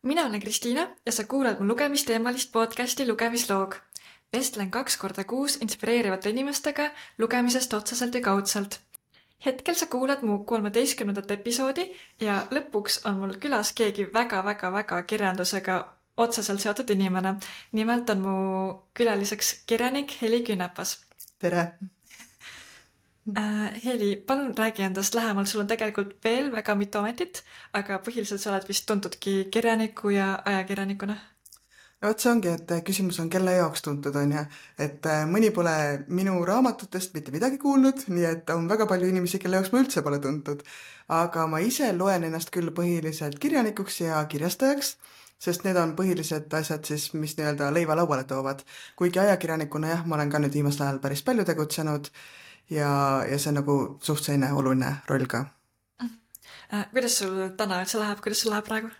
Mina olen Kristiina ja sa kuulad mu lugemisteemalist podcasti Lugemisloog. Vestlen 2 korda kuus inspireerivate inimestega lugemisest otseselt ja kaudselt. Hetkel sa kuulad mu 13. episoodi ja lõpuks on mul külas keegi väga kirjandusega otseselt seotud inimene. Nimelt on mu külaliseks kirjanik Heli Künnepas. Tere! Heli, palun räägi endast lähemalt, sul on tegelikult veel väga mitu ametit, aga põhiliselt sa oled vist tuntudki kirjaniku ja ajakirjanikuna. No vot see ongi, et küsimus on kelle jaoks tuntud on ja, et mõni pole minu raamatutest mitte midagi kuulnud, nii et on väga palju inimesi, kelle jaoks ma üldse pole tuntud. Aga ma ise loen ennast küll põhiliselt kirjanikuks ja kirjastajaks, sest need on põhilised asjad siis, mis nii-öelda leiva lauale toovad. Kuigi ajakirjanikuna jah, ma olen ka nüüd viimasel ajal päris palju tegutsenud ja see on nagu suht selline oluline roll ka. Kuidas sul täna üldse läheb, kuidas sul läheb praegu?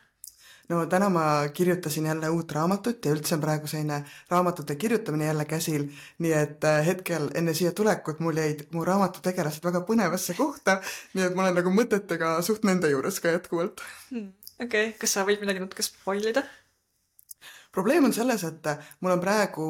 No täna ma kirjutasin jälle uut raamatut ja üldse on praegu selline raamatute kirjutamine jälle käsil, nii et hetkel enne siia tulekut mul jäid mu raamatutegelased väga põnevasse kohta, nii et ma olen nagu mõtetega suht nende juures ka jätkuvalt. Okei, kas sa võid midagi natuke spoilida? Probleem on selles, et mul on praegu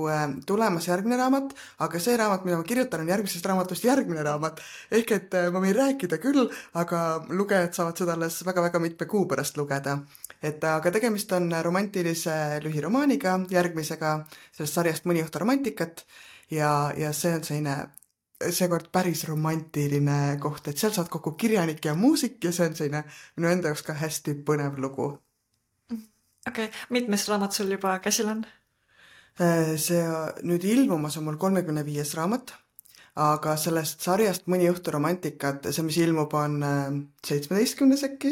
tulemas järgmine raamat, aga see raamat, mida ma kirjutan, on järgmisest raamatust järgmine raamat. Ehk et ma võin rääkida küll, aga lugejad saavad seda alles väga mitme kuu pärast lugeda. Aga tegemist on romantilise lühiromaaniga, järgmisega sellest sarjast Mõni õhtu romantikat ja see on selline seekord päris romantiline koht, et seal saad kokku kirjanik ja muusik ja see on selline minu enda jaoks ka hästi põnev lugu. Okei, mitmes raamat sul juba käsil on? See nüüd ilmumas on mul 35. raamat, aga sellest sarjast Mõni õhtu romantikat, see mis ilmub on 17. äkki.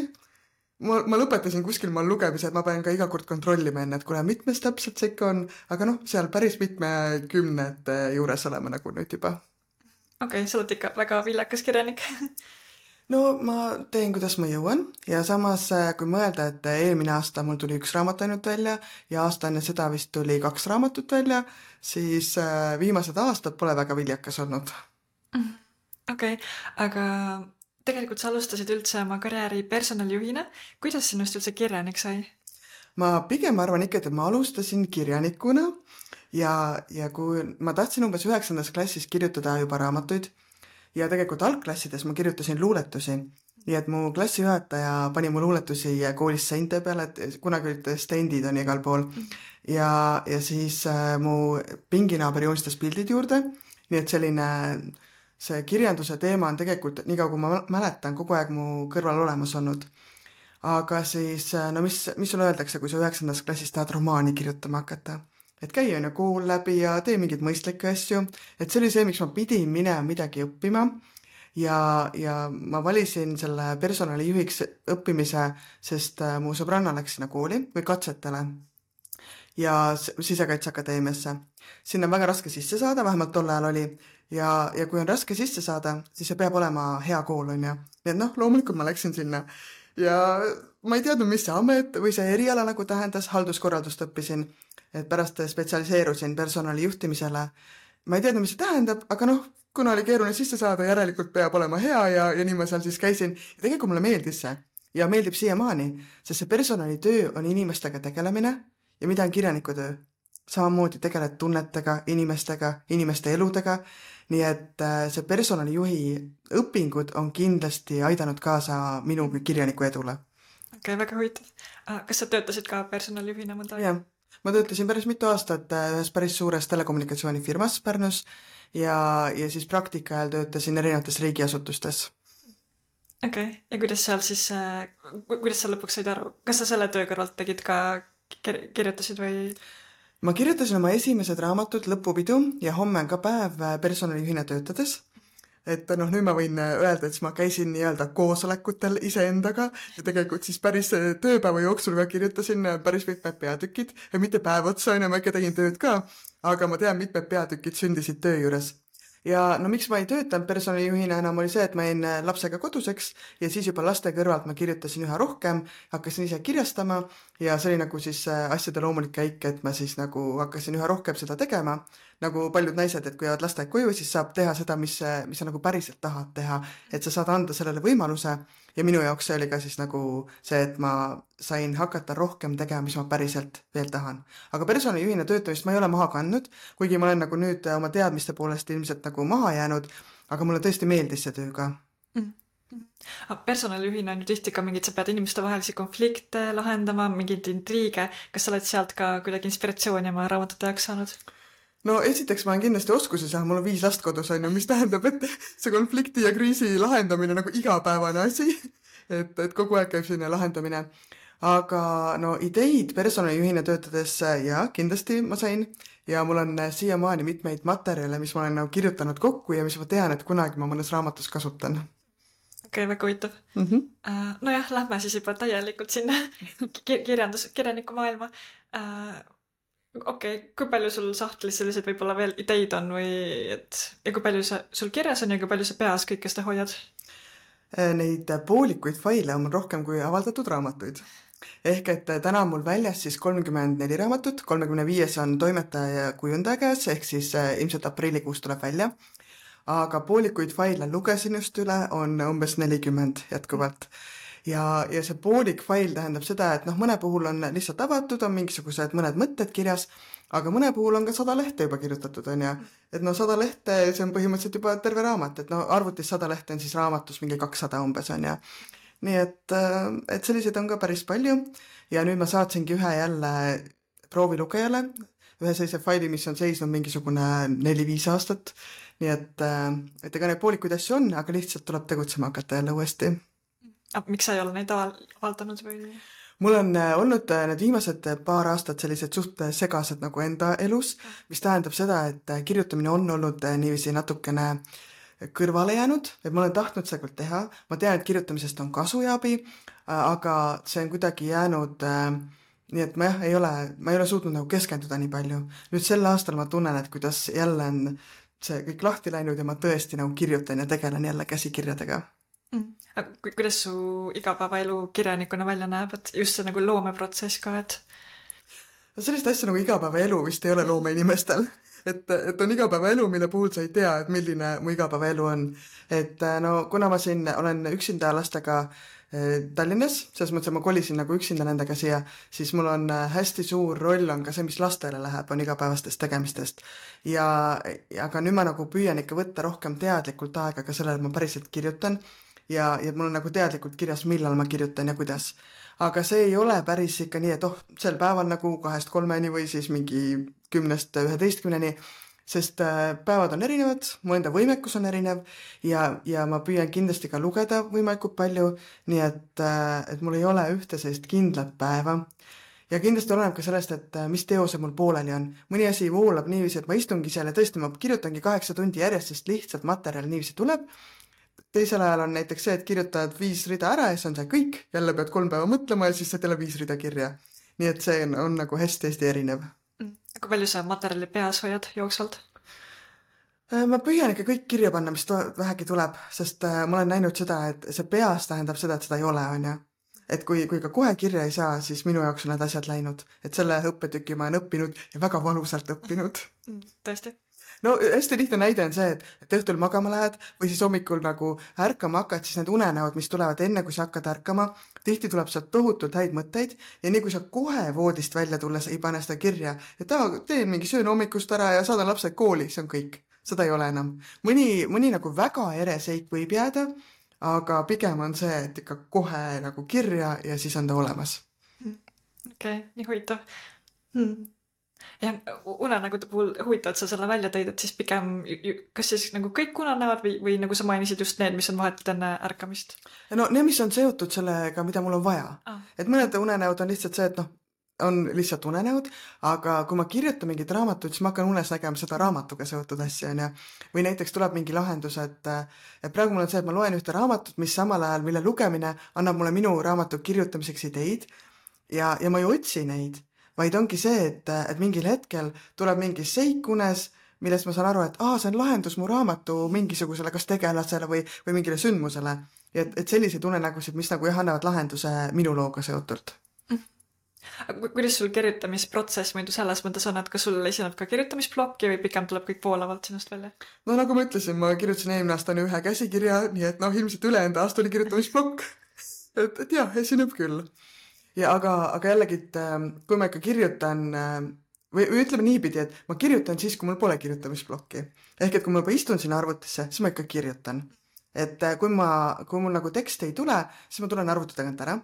Ma lõpetasin kuskil maal lugemise, et ma pean ka iga kord kontrollima enne, et kuule, mitmes täpselt see ikka on, aga seal päris mitme kümnete juures oleme nagu nüüd juba. Okei, sa oled ikka väga viljakas kirjanik. No ma teen, kuidas ma jõuan ja samas kui mõelda, et eelmine aasta mul tuli 1 raamat ainult välja ja aasta enne seda vist tuli 2 raamatut välja, siis viimased aastad pole väga viljakas olnud. Okei, aga tegelikult sa alustasid üldse oma karjääri personalijuhina. Kuidas sinust üldse kirjanik sai? Ma pigem arvan ikka, et ma alustasin kirjanikuna ja kui ma tahtsin umbes 9. klassis kirjutada juba raamatuid, ja tegelikult algklassides ma kirjutasin luuletusi, nii et mu klassijuhataja pani mu luuletusi koolis seinte peale, et kunagi olid stendid on igal pool ja siis mu pinginaaber joonistas pildid juurde, nii et selline see kirjanduse teema on tegelikult, nii kaua kui ma mäletan, kogu aeg mu kõrval olemas olnud. Aga siis, no mis sulle öeldakse, kui sa 9. klassis tahad romaani kirjutama hakata? Et käi on ju kool läbi ja tee mingeid mõistlikke asju, et see oli see, miks ma pidin minema midagi õppima ja ma valisin selle personalijuhiks õppimise, sest mu sõbranna läks sinna kooli või katsetele ja Sisekaitseakadeemiasse. Sinna on väga raske sisse saada, vähemalt tol ajal oli ja kui on raske sisse saada, siis see peab olema hea kool on ju. Nii et loomulikult ma läksin sinna ja ma ei teadnud, mis see amet või see eriala nagu tähendas, halduskorraldust õppisin, et pärast spetsialiseerusin personalijuhtimisele. Ma ei teadnud, mis see tähendab, aga kuna oli keeruline sisse saada, järelikult peab olema hea ja nii ma seal siis käisin. Ja tegelikult mulle meeldis see ja meeldib siiamaani, sest see personalitöö on inimestega tegelemine ja mida on kirjaniku töö. Samamoodi tegeled tunnetega, inimeste eludega, nii et see personalijuhi õpingud on kindlasti aidanud kaasa minu kirjaniku edule. Okei, väga huvitav. Kas sa töötasid ka personalijuhina mõnda? Jah, ma töötasin päris mitu aastat ühes päris suures telekommunikatsioonifirmas Pärnus ja siis praktika ajal töötasin erinevates riigiasutustes. Okei, ja kuidas sa lõpuks said aru? Kas sa selle töö kõrvalt tegid ka kirjutasid või? Ma kirjutasin oma esimesed raamatud Lõpupidu ja Homme on ka päev personalijuhina töötades. Et nüüd ma võin öelda, et ma käisin nii-öelda koosolekutel iseendaga ja tegelikult siis päris tööpäeva jooksul ka kirjutasin päris mitmed peatükid ja mitte päev otsa, ma ikka tegin tööd ka, aga ma tean, mitmed peatükid sündisid töö juures. Ja miks ma ei töötanud personalijuhina enam oli see, et ma jäin lapsega koduseks ja siis juba laste kõrvalt ma kirjutasin üha rohkem, hakkasin ise kirjastama ja see oli nagu siis asjade loomulik käik, et ma siis nagu hakkasin üha rohkem seda tegema. nagu paljud naised, et kui jäävad lasteaed koju, siis saab teha seda, mis sa nagu päriselt tahad teha, et sa saad anda sellele võimaluse ja minu jaoks see oli ka siis nagu see, et ma sain hakata rohkem tegema, mis ma päriselt veel tahan. aga personalijuhina töötamist ma ei ole maha kandnud, kuigi ma olen nagu nüüd oma teadmiste poolest ilmselt nagu maha jäänud, aga mulle tõesti meeldis see töö ka. Personalijuhina on ju tihti ka mingid, sa pead inimeste vahelisi konflikte lahendama, mingeid intriige. Kas sa oled sealt ka kuidagi inspiratsiooni oma raamatute jaoks saanud? No esiteks ma olen kindlasti oskusi saanud, mul on 5 last kodus on ju, mis tähendab, et see konflikti ja kriisi lahendamine nagu igapäevane asi, et kogu aeg käib selline lahendamine. Aga no ideid personalijuhina töötades ja kindlasti ma sain ja mul on siiamaani mitmeid materjale, mis ma olen nagu kirjutanud kokku ja mis ma tean, et kunagi ma mõnes raamatus kasutan. Okei, väga huvitav. Nojah, lähme siis juba täielikult sinna kirjaniku maailma. Okei, kui palju sul sahtlis sellised võib-olla veel ideid on või ja kui palju sul kirjas on ja kui palju sa peas kõike seda hoiad? Neid poolikuid faile on mul rohkem kui avaldatud raamatuid. Ehk et täna on mul väljas siis 34 raamatut, 35 on toimetaja ja kujundaja käes, ehk siis ilmselt aprillikuus tuleb välja. Aga poolikuid faile lugesin just üle, on umbes 40 jätkuvalt. Ja see poolik fail tähendab seda, et mõne puhul on lihtsalt avatud, on mingisugused mõned mõtted kirjas, aga mõne puhul on ka 100 lehte juba kirjutatud, on ja. Et 100 lehte, see on põhimõtteliselt juba terve raamat, et arvutis 100 lehte on siis raamatus mingi 200 umbes, on ja. Nii et selliseid on ka päris palju ja nüüd ma saatsingi ühe jälle proovilugejale, ühe sellise faili, mis on seisnud mingisugune 4-5 aastat, nii et ega neid poolikuid asju on, aga lihtsalt tuleb tegutsema hakata jälle uuesti. Miks sa ei ole neid avaldanud või? Mul on olnud need viimased paar aastat sellised suht segased nagu enda elus, mis tähendab seda, et kirjutamine on olnud niiviisi natukene kõrvale jäänud, et ma olen tahtnud seda küll teha, ma tean, et kirjutamisest on kasu ja abi, aga see on kuidagi jäänud, nii et ma ei ole suutnud nagu keskenduda nii palju. Nüüd sel aastal ma tunnen, et kuidas jälle on see kõik lahti läinud ja ma tõesti nagu kirjutan ja tegelen jälle käsikirjadega. Kuidas su igapäevaelu kirjanikuna välja näeb, et just see nagu loomeprotsess ka, et? Sellist asja nagu igapäevaelu vist ei ole loomeinimestel, et on igapäevaelu, mille puhul sa ei tea, et milline mu igapäevaelu on. Et kuna ma siin olen üksinda lastega Tallinnas, selles mõttes, et ma kolisin nagu üksinda nendega siia, siis mul on hästi suur roll on ka see, mis lastele läheb, on igapäevastest tegemistest. Aga nüüd ma nagu püüan ikka võtta rohkem teadlikult aega ka sellele, et ma päriselt kirjutan ja mul on nagu teadlikult kirjas, millal ma kirjutan ja kuidas. Aga see ei ole päris ikka nii, et sel päeval nagu 2-3 või siis mingi 10-11, sest päevad on erinevad, mu enda võimekus on erinev ja ma püüan kindlasti ka lugeda võimalikult palju, nii et mul ei ole ühte sellist kindlat päeva. Ja kindlasti oleneb ka sellest, et mis teose mul pooleli on. Mõni asi voolab niiviisi, et ma istungi seal ja tõesti ma kirjutangi 8 tundi järjest, sest lihtsalt materjal niiviisi tuleb. Teisel ajal on näiteks see, et kirjutad 5 rida ära ja see on see kõik, jälle pead 3 päeva mõtlema ja siis saad jälle 5 rida kirja. Nii et see on nagu hästi-hästi erinev. Kui palju sa materjali peas hoiad jooksvalt? Ma püüan ikka kõik kirja panna, mis vähegi tuleb, sest ma olen näinud seda, et see peas tähendab seda, et seda ei ole, on ja. Et kui ka kohe kirja ei saa, siis minu jaoks on need asjad läinud. Et selle õppetüki ma olen õppinud ja väga valusalt õppinud. Tõesti? No hästi lihtne näide on see, et õhtul magama lähed või siis hommikul nagu ärkama hakkad, siis need unenäod, mis tulevad enne, kui sa hakkad ärkama, tihti tuleb sealt tohutult häid mõtteid ja nii kui sa kohe voodist välja tulles ei pane seda kirja, et teen mingi söön hommikust ära ja saadan lapsed kooli, see on kõik. Seda ei ole enam. Mõni nagu väga ereseik võib jääda, aga pigem on see, et ikka kohe nagu kirja ja siis on ta olemas. Okei, nii huvitav. Ja unenägude puhul huvitav, et sa selle välja tõid, et siis pigem, kas siis nagu kõik unenäod või nagu sa mainisid just need, mis on vahetult enne ärkamist? No need, mis on seotud sellega, mida mul on vaja. Et mõned unenäod on lihtsalt see, et on lihtsalt unenäod, aga kui ma kirjutan mingit raamatut, siis ma hakkan unes nägema seda raamatuga seotud asja, on ja. Või näiteks tuleb mingi lahendus, et praegu mul on see, et ma loen ühte raamatut, mis samal ajal, mille lugemine annab mulle minu raamatu kirjutamiseks ideid ja ma ei otsi neid, vaid ongi see, et mingil hetkel tuleb mingi seik unes, millest ma saan aru, et see on lahendus mu raamatu mingisugusele kas tegelasele või mingile sündmusele. Et selliseid unenägusid, mis nagu annavad lahenduse minu looga seotult. Kuidas sul kirjutamisprotsess muidu selles mõttes on, et kas sul esineb ka kirjutamisplokki või pigem tuleb kõik poolavalt sinust välja? No nagu ma ütlesin, ma kirjutasin eelmine aasta ühe käsikirja, nii et ilmselt ülejäänud aasta oli kirjutamisplokk. et jah, esineb küll. Ja aga jällegi, et kui ma ikka kirjutan, või ütleme niipidi, et ma kirjutan siis, kui mul pole kirjutamisplokki. Ehk et kui ma juba istun sinna arvutisse, siis ma ikka kirjutan. Et kui mul nagu tekst ei tule, siis ma tulen arvuti tagant ära.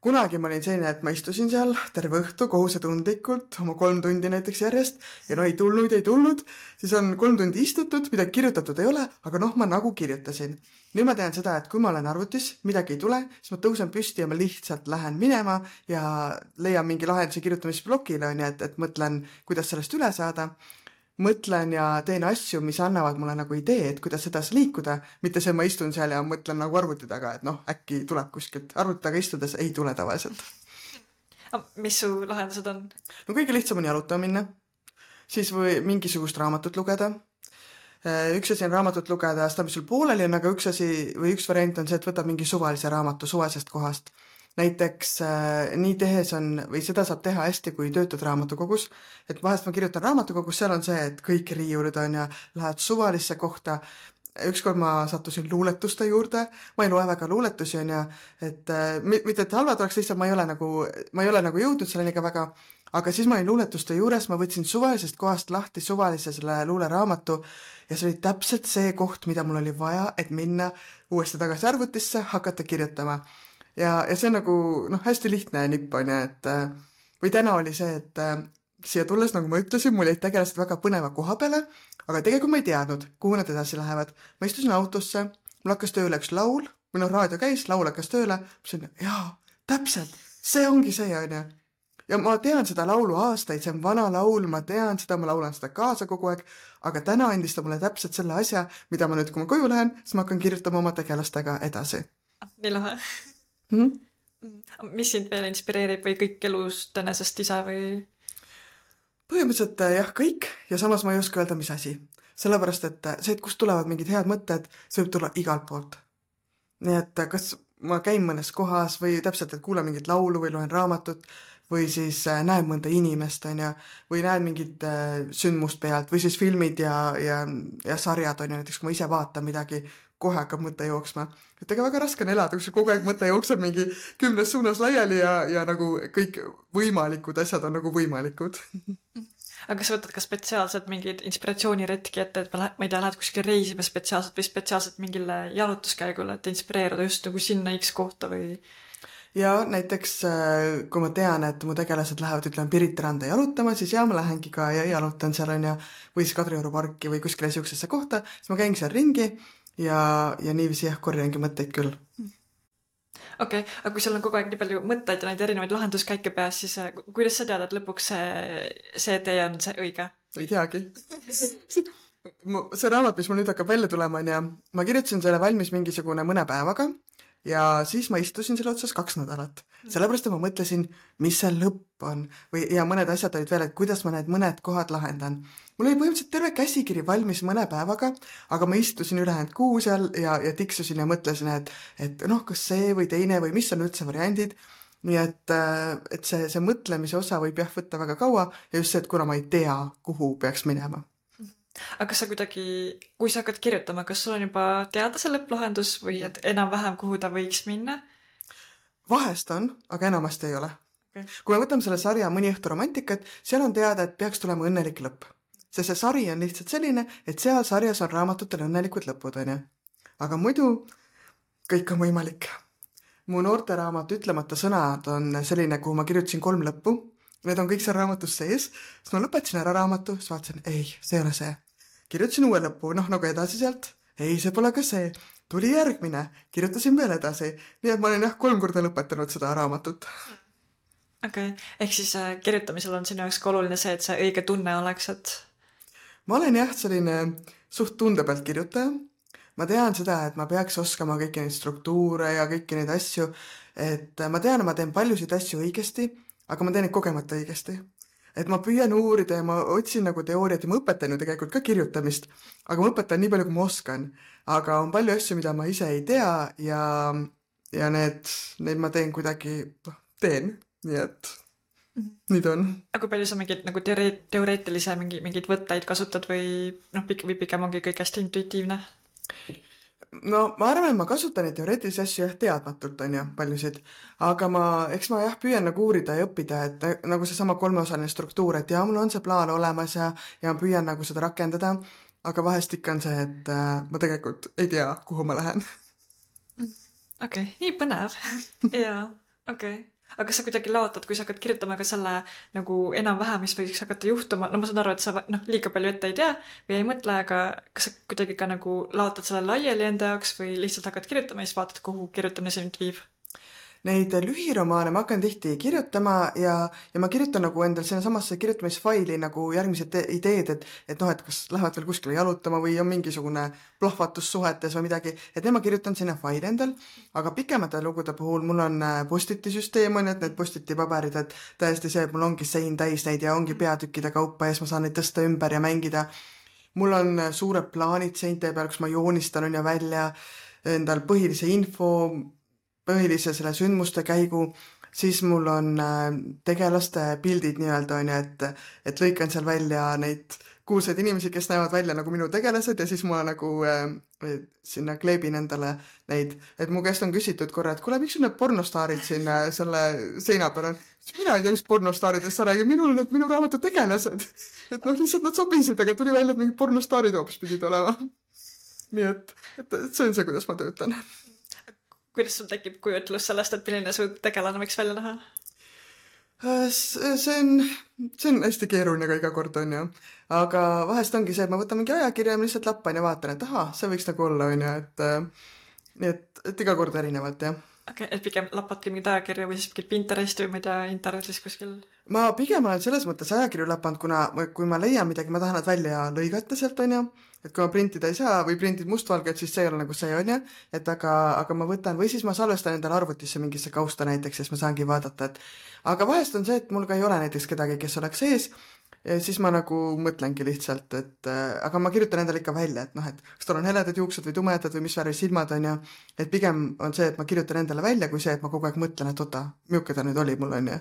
Kunagi ma olin selline, et ma istusin seal terve õhtu kohusetundlikult, oma 3 tundi näiteks järjest, ja ei tulnud, siis on 3 tundi istutud, midagi kirjutatud ei ole, aga ma nagu kirjutasin. Nüüd ma tean seda, et kui ma olen arvutis, midagi ei tule, siis ma tõusen püsti ja ma lihtsalt lähen minema ja leian mingi lahenduse kirjutamisblokile, et mõtlen, kuidas sellest üle saada. Mõtlen ja teen asju, mis annavad mulle nagu idee, et kuidas edasi liikuda, mitte see, ma istun seal ja mõtlen nagu arvuti taga, et äkki tuleb kuskilt. Arvuti taga istudes ei tule tavaliselt. Mis su lahendused on? No kõige lihtsam on jalutama minna, siis või mingisugust raamatut lugeda. Üks asi on raamatut lugeda, seda mis sul pooleli on, aga üks variant on see, et võtab mingi suvalise raamatu suvalisest kohast. Näiteks nii tehes on, või seda saab teha hästi, kui töötad raamatukogus, et vahest ma kirjutan raamatukogus, seal on see, et kõik riiulid on ja lähed suvalisse kohta. Ükskord ma sattusin luuletuste juurde, ma ei loe väga luuletusi on ja, et mitte et halvad oleks lihtsalt, ma ei ole nagu jõudnud selleni ka väga, aga siis ma olin luuletuste juures, ma võtsin suvalisest kohast lahti suvalise selle luuleraamatu ja see oli täpselt see koht, mida mul oli vaja, et minna uuesti tagasi arvutisse, hakata kirjutama. Ja see on nagu hästi lihtne nipp on ja, et või täna oli see, et siia tulles, nagu ma ütlesin, mul jäid tegelased väga põneva koha peale, aga tegelikult ma ei teadnud, kuhu nad edasi lähevad. Ma istusin autosse, mul hakkas tööle üks laul, või raadio käis, laul hakkas tööle, ma ütlesin, jaa, täpselt, see ongi see on ja. Ja ma tean seda laulu aastaid, see on vana laul, ma tean seda, ma laulan seda kaasa kogu aeg, aga täna andis ta mulle täpselt selle asja, mida ma nüüd, kui ma koju lähen, siis ma hakkan kirjutama oma tegelastega edasi. Nii lahe. Mis sind veel inspireerib või kõik elust enesest ise või? Põhimõtteliselt jah, kõik ja samas ma ei oska öelda, mis asi. Sellepärast, et see, et kust tulevad mingid head mõtted, see võib tulla igalt poolt. Nii et kas ma käin mõnes kohas või täpselt, et kuulen mingit laulu või loen raamatut või siis näen mõnda inimest on ja, või näen mingit sündmust pealt või siis filmid ja sarjad on ja näiteks, kui ma ise vaatan midagi, kohe hakkab mõte jooksma. Et ega väga raske on elada, kui kogu aeg mõte jookseb mingi 10 suunas laiali ja nagu kõik võimalikud asjad on nagu võimalikud. Aga kas võtad ka spetsiaalselt mingid inspiratsiooniretki ette, et ma ei tea, lähed kuskil reisima spetsiaalselt või spetsiaalselt mingile jalutuskäigule, et inspireeruda just nagu sinna X kohta või? Ja näiteks, kui ma tean, et mu tegelased lähevad, ütlen Pirita randa jalutama, siis ma lähengi ka ja jalutan seal on ja, või siis Kadrioru parki või kuskile siuksesse kohta, siis ma käin seal ringi ja niiviisi korjangi mõtteid küll. Okei, aga kui sul on kogu aeg nii palju mõtteid ja neid erinevaid lahenduskäike peas, siis kuidas sa tead, et lõpuks see tee on see õige? Ei teagi. See raamat, mis mul nüüd hakkab välja tulema on ja ma kirjutasin selle valmis mingisugune mõne päevaga ja siis ma istusin selle otsas 2 nädalat. Sellepärast, et ma mõtlesin, mis see lõpp on ja mõned asjad olid veel, et kuidas ma need mõned kohad lahendan. Mul oli põhimõtteliselt terve käsikiri valmis mõne päevaga, aga ma istusin ülejäänud kuu seal ja tiksusin ja mõtlesin, et kas see või teine või mis on üldse variandid. Nii et see mõtlemise osa võib võtta väga kaua ja just see, et kuna ma ei tea, kuhu peaks minema. Aga kas sa kuidagi, kui sa hakkad kirjutama, kas sul on juba teada see lõpplahendus või et enam-vähem kuhu ta võiks minna? Vahest on, aga enamasti ei ole. Okay. Kui me võtame selle sarja Mõni õhtu romantikat, seal on teada, et peaks tulema õnnelik lõpp. See sari on lihtsalt selline, et seal sarjas on raamatutel õnnelikud lõpud, on ju. Aga muidu kõik on võimalik. Mu noorteraamat Ütlemata sõnad on selline, kuhu ma kirjutasin 3 lõppu. Need on kõik seal raamatus sees. Siis ma lõpetasin ära raamatu, siis vaatasin, ei, see ei ole see. Kirjutasin uue lõppu, nagu edasi sealt. Ei, see pole ka see. Tuli järgmine, kirjutasin veel edasi. Nii et ma olen 3 korda lõpetanud seda raamatut. Okei, ehk siis kirjutamisel on sinu jaoks ka oluline see, et see õige tunne oleks, et... Ma olen selline suht tunde pealt kirjutaja. Ma tean seda, et ma peaks oskama kõiki neid struktuure ja kõiki neid asju. Et ma tean, et ma teen paljusid asju õigesti, aga ma teen neid kogemata õigesti. Et ma püüan uurida ja ma otsin nagu teooriat ja ma õpetan ju tegelikult ka kirjutamist, aga ma õpetan nii palju, kui ma oskan. Aga on palju asju, mida ma ise ei tea ja need ma teen kuidagi, teen. Nii et nii ta on. Aga palju sa mingid nagu teoreetilise mingeid võtteid kasutad või või pigem ongi kõik hästi intuitiivne? No ma arvan, et ma kasutan neid teoreetilisi asju jah teadmatult, on ju, paljusid. Aga eks ma jah püüan nagu uurida ja õppida, et nagu seesama kolmeosaline struktuur, et jaa, mul on see plaan olemas ja ma püüan nagu seda rakendada. Aga vahest ikka on see, et ma tegelikult ei tea, kuhu ma lähen. Okei, nii põnev. Jaa, okei. Aga kas sa kuidagi laotad, kui sa hakkad kirjutama ka selle nagu enam-vähem, mis võiks hakata juhtuma, no ma saan aru, et sa liiga palju ette ei tea või ei mõtle, aga kas sa kuidagi ka nagu laotad selle laiali enda jaoks või lihtsalt hakkad kirjutama ja siis vaatad, kuhu kirjutamine sind viib? Neid lühiromaane ma hakkan tihti kirjutama ja ma kirjutan nagu endal sinna samasse kirjutamisfaili nagu järgmised ideed, et noh, et kas lähevad veel kuskile jalutama või on mingisugune plahvatus suhetes või midagi, et need ma kirjutan sinna faili endal, aga pikemate lugude puhul mul on postiti süsteem, on ju, et need postiti paberid, et täiesti see, et mul ongi sein täis neid ja ongi peatükkide kaupa ja siis ma saan neid tõsta ümber ja mängida. Mul on suured plaanid seinte peal, kus ma joonistan on ju välja endal põhilise info, põhilise selle sündmuste käigu, siis mul on tegelaste pildid nii-öelda on ju, et lõikan seal välja neid kuulsaid inimesi, kes näevad välja nagu minu tegelased ja siis ma nagu sinna kleebin endale neid, et mu käest on küsitud korra, et kuule, miks sul need pornostaarid siin selle seina peal on? Mina ei tea, mis pornostaaridest sa räägid, minul need minu raamatu tegelased. Et noh, lihtsalt nad sobisid, aga tuli välja, et mingid pornostaarid hoopis pidid olema. Nii et see on see, kuidas ma töötan. Kuidas sul tekib kujutlus sellest, et milline su tegelane võiks välja näha? See on hästi keeruline ka iga kord, on ju. Aga vahest ongi see, et ma võtan mingi ajakirja ja ma lihtsalt lappan ja vaatan, et aha, see võiks nagu olla, on ju. Et iga kord erinevalt, jah. Okei, et pigem lappadki mingid ajakirja või siis mingid Pinteresti või ma ei tea, internetis kuskil? Ma pigem olen selles mõttes ajakirju lapanud, kuna kui ma leian midagi, ma tahan nad välja lõigata sealt, on ju. Et kui ma printida ei saa või printid mustvalget, siis see ei ole nagu see, on ju. Et aga ma võtan või siis ma salvestan endale arvutisse mingisse kausta näiteks, siis ma saangi vaadata, et aga vahest on see, et mul ka ei ole näiteks kedagi, kes oleks sees, siis ma nagu mõtlengi lihtsalt, et aga ma kirjutan endale ikka välja, et noh, et kas tal on heledad juuksed või tumedad või mis värvi silmad on ju, et pigem on see, et ma kirjutan endale välja, kui see, et ma kogu aeg mõtlen, et oota, milline ta nüüd oli mul on ju.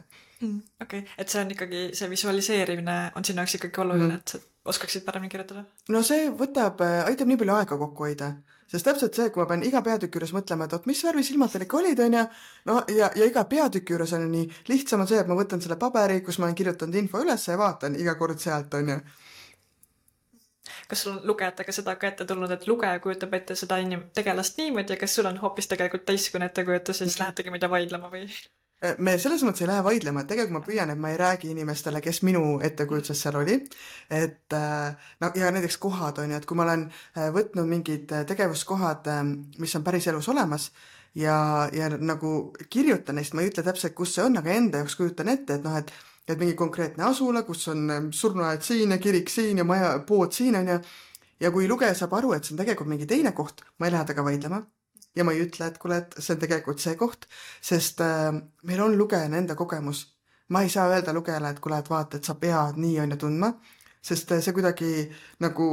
Okei, et see on ikkagi, see visualiseerimine on sinu jaoks ikkagi oluline, et sa oskaksid paremini kirjutada? No see aitab nii palju aega kokku hoida. Sest täpselt see, kui ma pean iga peatüki juures mõtlema, et mis värvi silmad teil ikka olid, on ju, no ja iga peatüki juures on nii lihtsam on see, et ma võtan selle paberi, kus ma olen kirjutanud info üles ja vaatan iga kord sealt, on ju. Kas sul on lugejatega seda ka ette tulnud, et lugeja kujutab ette seda tegelast niimoodi ja kas sul on hoopis tegelikult teistsugune ettekujutus ja siis lähetegi mida vaidlema või? Me selles mõttes ei lähe vaidlema, et tegelikult ma püüan, et ma ei räägi inimestele, kes minu ettekujutuses seal oli, et no ja näiteks kohad on ju, et kui ma olen võtnud mingid tegevuskohad, mis on päris elus olemas ja nagu kirjutan neist, ma ei ütle täpselt, kus see on, aga enda jaoks kujutan ette, et noh, et mingi konkreetne asula, kus on surnuaed siin ja kirik siin ja maja, pood siin on ja kui lugeja saab aru, et see on tegelikult mingi teine koht, ma ei lähe taga vaidlema. Ja ma ei ütle, et kuule, et see on tegelikult see koht, sest meil on lugejana enda kogemus. Ma ei saa öelda lugejale, et kuule, et vaata, et sa pead nii on ja tundma, sest see kuidagi nagu,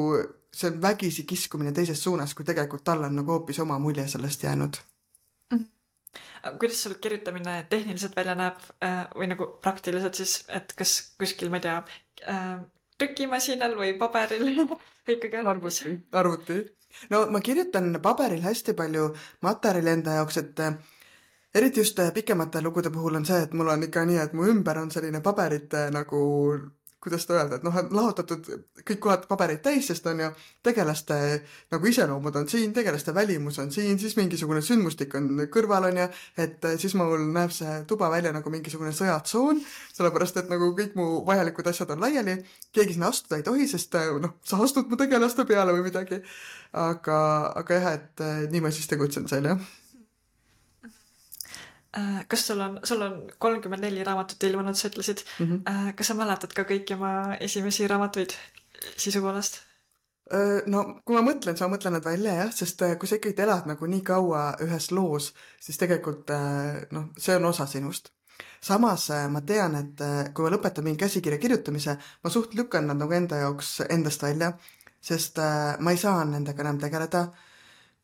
see on vägisi kiskumine teises suunas, kui tegelikult tal on nagu hoopis oma mulje sellest jäänud. Kuidas sul kirjutamine tehniliselt välja näeb või nagu praktiliselt siis, et kas kuskil, ma ei tea, trükimasinal või paberil või ikkagi arvuti. No ma kirjutan paberil hästi palju materjali enda jaoks, et eriti just pikemate lugude puhul on see, et mul on ikka nii, et mu ümber on selline paberite nagu, kuidas ta öelda, et noh, lahutatud kõik kohad pabereid täis, sest on ju tegelaste nagu iseloomud on siin, tegelaste välimus on siin, siis mingisugune sündmustik on kõrval on ju, et siis mul näeb see tuba välja nagu mingisugune sõjatsoon, sellepärast et nagu kõik mu vajalikud asjad on laiali, keegi sinna astuda ei tohi, sest noh, sa astud mu tegelaste peale või midagi. Aga jah, et nii ma siis tegutsen seal, jah. Kas sul on 34 raamatut ilmunud, sa ütlesid. Kas sa mäletad ka kõiki oma esimesi raamatuid sisu poolest? No, kui ma mõtlen, siis ma mõtlen nad välja, jah, sest kui sa ikkagi elad nagu nii kaua ühes loos, siis tegelikult noh, see on osa sinust. Samas ma tean, et kui ma lõpetan mingi käsikirja kirjutamise, ma suht lükkan nad nagu enda jaoks endast välja, sest ma ei saa nendega enam tegeleda.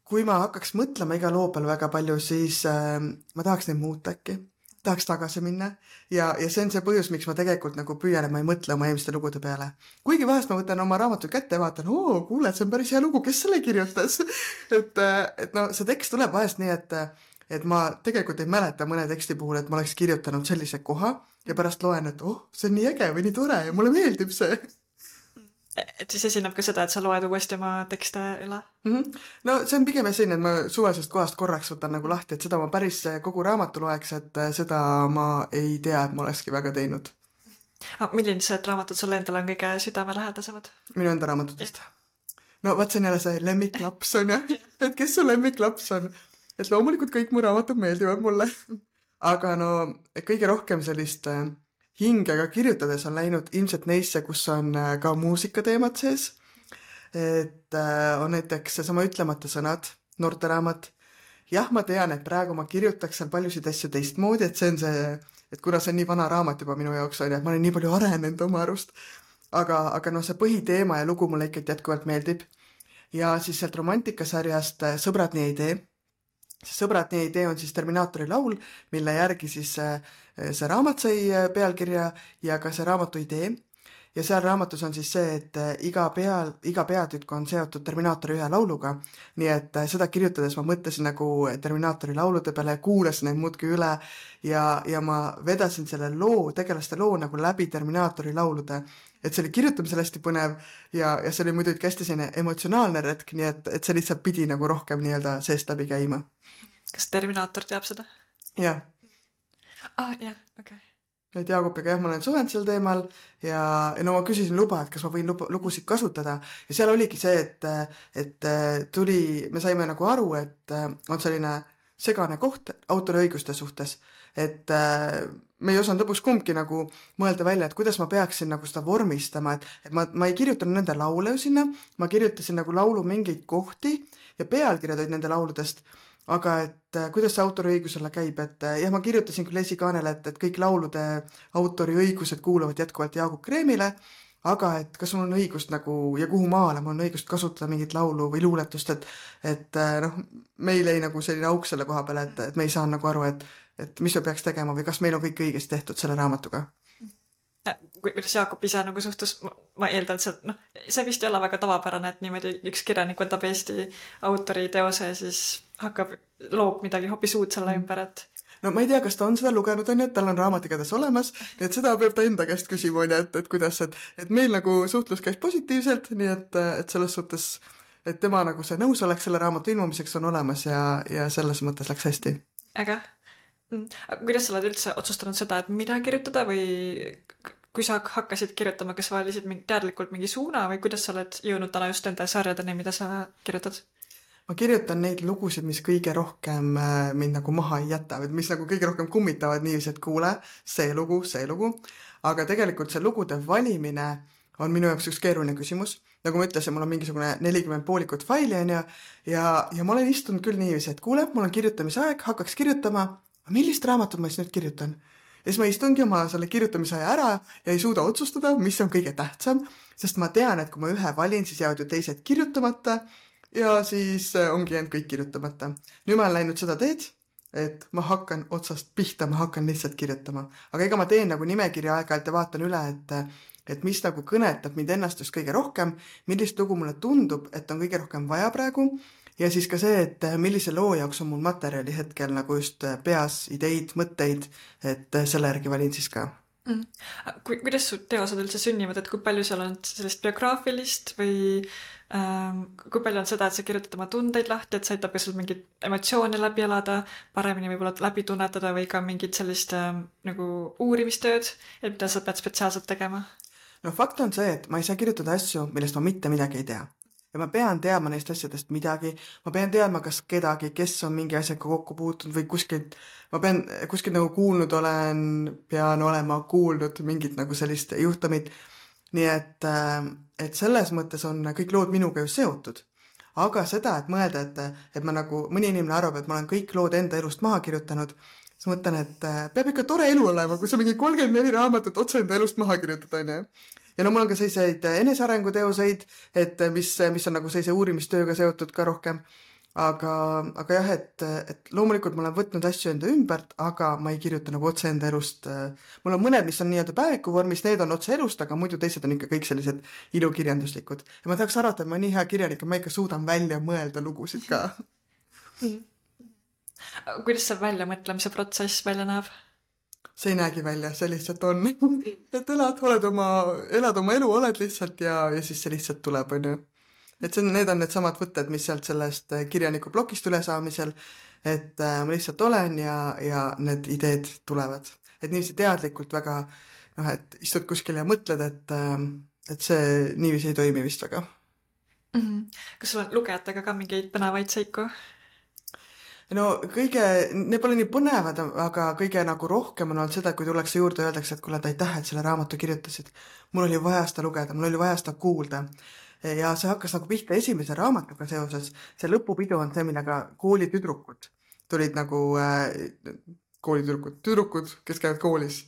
Kui ma hakkaks mõtlema iga loo peal väga palju, siis ma tahaks neid muuta äkki. tahaks tagasi minna ja see on see põhjus, miks ma tegelikult nagu püüan, et ma ei mõtle oma eelmiste lugude peale. Kuigi vahest ma võtan oma raamatu kätte ja vaatan, kuule, see on päris hea lugu, kes selle kirjutas? et no see tekst tuleb vahest nii, et ma tegelikult ei mäleta mõne teksti puhul, et ma oleks kirjutanud sellise koha ja pärast loen, et see on nii äge või nii tore ja mulle meeldib see. Et siis esineb ka seda, et sa loed uuesti oma tekste üle? No see on pigem selline, et ma suvalisest kohast korraks võtan nagu lahti, et seda ma päris kogu raamatu loeks, et seda ma ei tea, et ma olekski väga teinud. Millised raamatud sulle endale on kõige südamelähedasemad? Minu enda raamatutest. No vaat see on jälle see lemmiklaps on et kes su lemmiklaps on? Et loomulikult kõik mu raamatud meeldivad mulle. Aga no kõige rohkem sellist hingega kirjutades on läinud ilmselt neisse, kus on ka muusikateemad sees. Et on näiteks seesama Ütlemata sõnad, noorteraamat. Jah, ma tean, et praegu ma kirjutaks seal paljusid asju teistmoodi, et see on see, et kuna see on nii vana raamat juba minu jaoks on, et ma olen nii palju arenenud oma arust. Aga no see põhiteema ja lugu mulle ikkagi jätkuvalt meeldib. Ja siis sealt romantikasarjast Sõbrad nii ei tee. Sõbrad nii ei tee on siis Terminaatori laul, mille järgi siis see raamat sai pealkirja ja ka see raamatu idee. Ja seal raamatus on siis see, et iga peatükk on seotud Terminaatori ühe lauluga. Nii et seda kirjutades ma mõtlesin nagu Terminaatori laulude peale, kuulasin neid muudki üle ja ma vedasin selle tegelaste loo nagu läbi Terminaatori laulude. Et see oli kirjutamisel hästi põnev ja see oli muidugi hästi selline emotsionaalne retk, nii et see lihtsalt pidi nagu rohkem nii-öelda seest läbi käima. Kas Terminaator teab seda? Jah. Jah, okei. Et Jaagupiga jah, ma olen suhelnud sel teemal ja no ma küsisin luba, et kas ma võin lugusid kasutada ja seal oligi see, et me saime nagu aru, et on selline segane koht autoriõiguste suhtes, et me ei osanud lõpuks kumbki nagu mõelda välja, et kuidas ma peaksin nagu seda vormistama, et ma ei kirjutanud nende laule sinna, ma kirjutasin nagu laulu mingeid kohti ja pealkirjad olid nende lauludest, aga et kuidas see autoriõigusele käib, et jah, ma kirjutasin küll esikaanele, et kõik laulude autoriõigused kuuluvad jätkuvalt Jaagup Kreemile, aga et kas mul on õigust nagu ja kuhu maale mul on õigust kasutada mingit laulu või luuletust, et noh, meil ei nagu selline auk selle koha peale, et me ei saa nagu aru, et mis me peaks tegema või kas meil on kõik õigesti tehtud selle raamatuga. Kuidas Jaagup ise nagu suhtus, ma eeldan, et see vist ei ole väga tavapärane, et niimoodi üks kirjanik võtab Eesti autori teose ja siis loob midagi hoopis uut selle ümber, et... No ma ei tea, kas ta on seda lugenud, et tal on raamat igatahes olemas, nii et seda peab ta enda käest küsima, et kuidas, et meil nagu suhtlus käis positiivselt, nii et selles suhtes, et tema nagu see nõusolek selle raamatu ilmumiseks on olemas ja selles mõttes läks hästi. Aga kuidas sa oled üldse otsustanud seda, et mida kirjutada või kui sa hakkasid kirjutama, kas sa valisid teadlikult mingi suuna või kuidas sa oled jõudnud täna just nende sarjadeni, mida sa kirjutad? Ma kirjutan neid lugusid, mis kõige rohkem mind nagu maha ei jäta, mis nagu kõige rohkem kummitavad niiviisi, et kuule, see lugu, aga tegelikult see lugude valimine on minu jaoks üks keeruline küsimus. Nagu ma ütlesin, mul on mingisugune 40 poolikut faili ja ma olen istunud küll niiviisi, et kuule, mul on kirjutamise aeg, hakkaks kirjutama, millist raamatut ma siis nüüd kirjutan? Ja siis ma istungi oma selle kirjutamise aja ära ja ei suuda otsustada, mis on kõige tähtsam, sest ma tean, et kui ma ühe valin, siis jäävad ju teised kirjutamata ja siis ongi jäänud kõik kirjutamata. Nüüd ma olen läinud seda teed, et ma hakkan otsast pihta, ma hakkan lihtsalt kirjutama. Aga ega ma teen nagu nimekirja aeg-ajalt ja vaatan üle, et mis nagu kõnetab mind ennast just kõige rohkem, millist lugu mulle tundub, et on kõige rohkem vaja praegu. Ja siis ka see, et millise loo jaoks on mul materjali hetkel nagu just peas, ideid, mõtteid, et selle järgi valin siis ka. Kuidas su teosed üldse sünnivad, et kui palju seal on sellist biograafilist või kui palju on seda, et sa kirjutad oma tundeid lahti, et sa aitab ka sul mingit emotsiooni läbi elada, paremini võib-olla läbi tunnetada või ka mingit sellist nagu uurimistööd, et mida sa pead spetsiaalselt tegema? No fakt on see, et ma ei saa kirjutada asju, millest ma mitte midagi ei tea. Ja ma pean teadma neist asjadest midagi, ma pean teadma kas kedagi, kes on mingi asjaga kokku puutunud või kuskilt nagu kuulnud pean olema kuulnud mingit nagu sellist juhtumit. Nii et selles mõttes on kõik lood minuga ju seotud. Aga seda, et mõelda, et ma nagu, mõni inimene arvab, et ma olen kõik lood enda elust maha kirjutanud, siis mõtlen, et peab ikka tore elu olema, kui sa mingi 34 raamatut otse enda elust maha kirjutada, on. Ja no mul on ka selliseid enesearenguteoseid, et mis on nagu sellise uurimistööga seotud ka rohkem. aga jah, et loomulikult ma olen võtnud asju enda ümbert, aga ma ei kirjuta nagu otse enda elust. Mul on mõned, mis on nii-öelda päeviku vormis, need on otse elust, aga muidu teised on ikka kõik sellised ilukirjanduslikud. Ja ma tahaks arvata, et ma nii hea kirjanik, et ma ikka suudan välja mõelda lugusid ka. Kuidas see väljamõtlemise protsess välja näeb? See ei näegi välja, see lihtsalt on. Et elad oma elu, oled lihtsalt ja siis see lihtsalt tuleb, on ju. Et need on need samad võtted, mis sealt sellest kirjaniku blokist üle saamisel, et ma lihtsalt olen ja need ideed tulevad. Et niiviisi teadlikult väga, et istud kuskil ja mõtled, et see niiviisi ei toimi vist väga. Kas sul on lugejatega ka mingeid põnevaid seiku? No need pole nii põnevad, aga kõige nagu rohkem on olnud seda, kui tullakse juurde ja öeldakse, et kuule, aitäh, et selle raamatu kirjutasid. Mul oli vaja seda lugeda, mul oli vaja seda kuulda. Ja see hakkas nagu pihta esimese raamatuga seoses. See lõpupidu on see, millega koolitüdrukud tulid nagu tüdrukud, kes käivad koolis.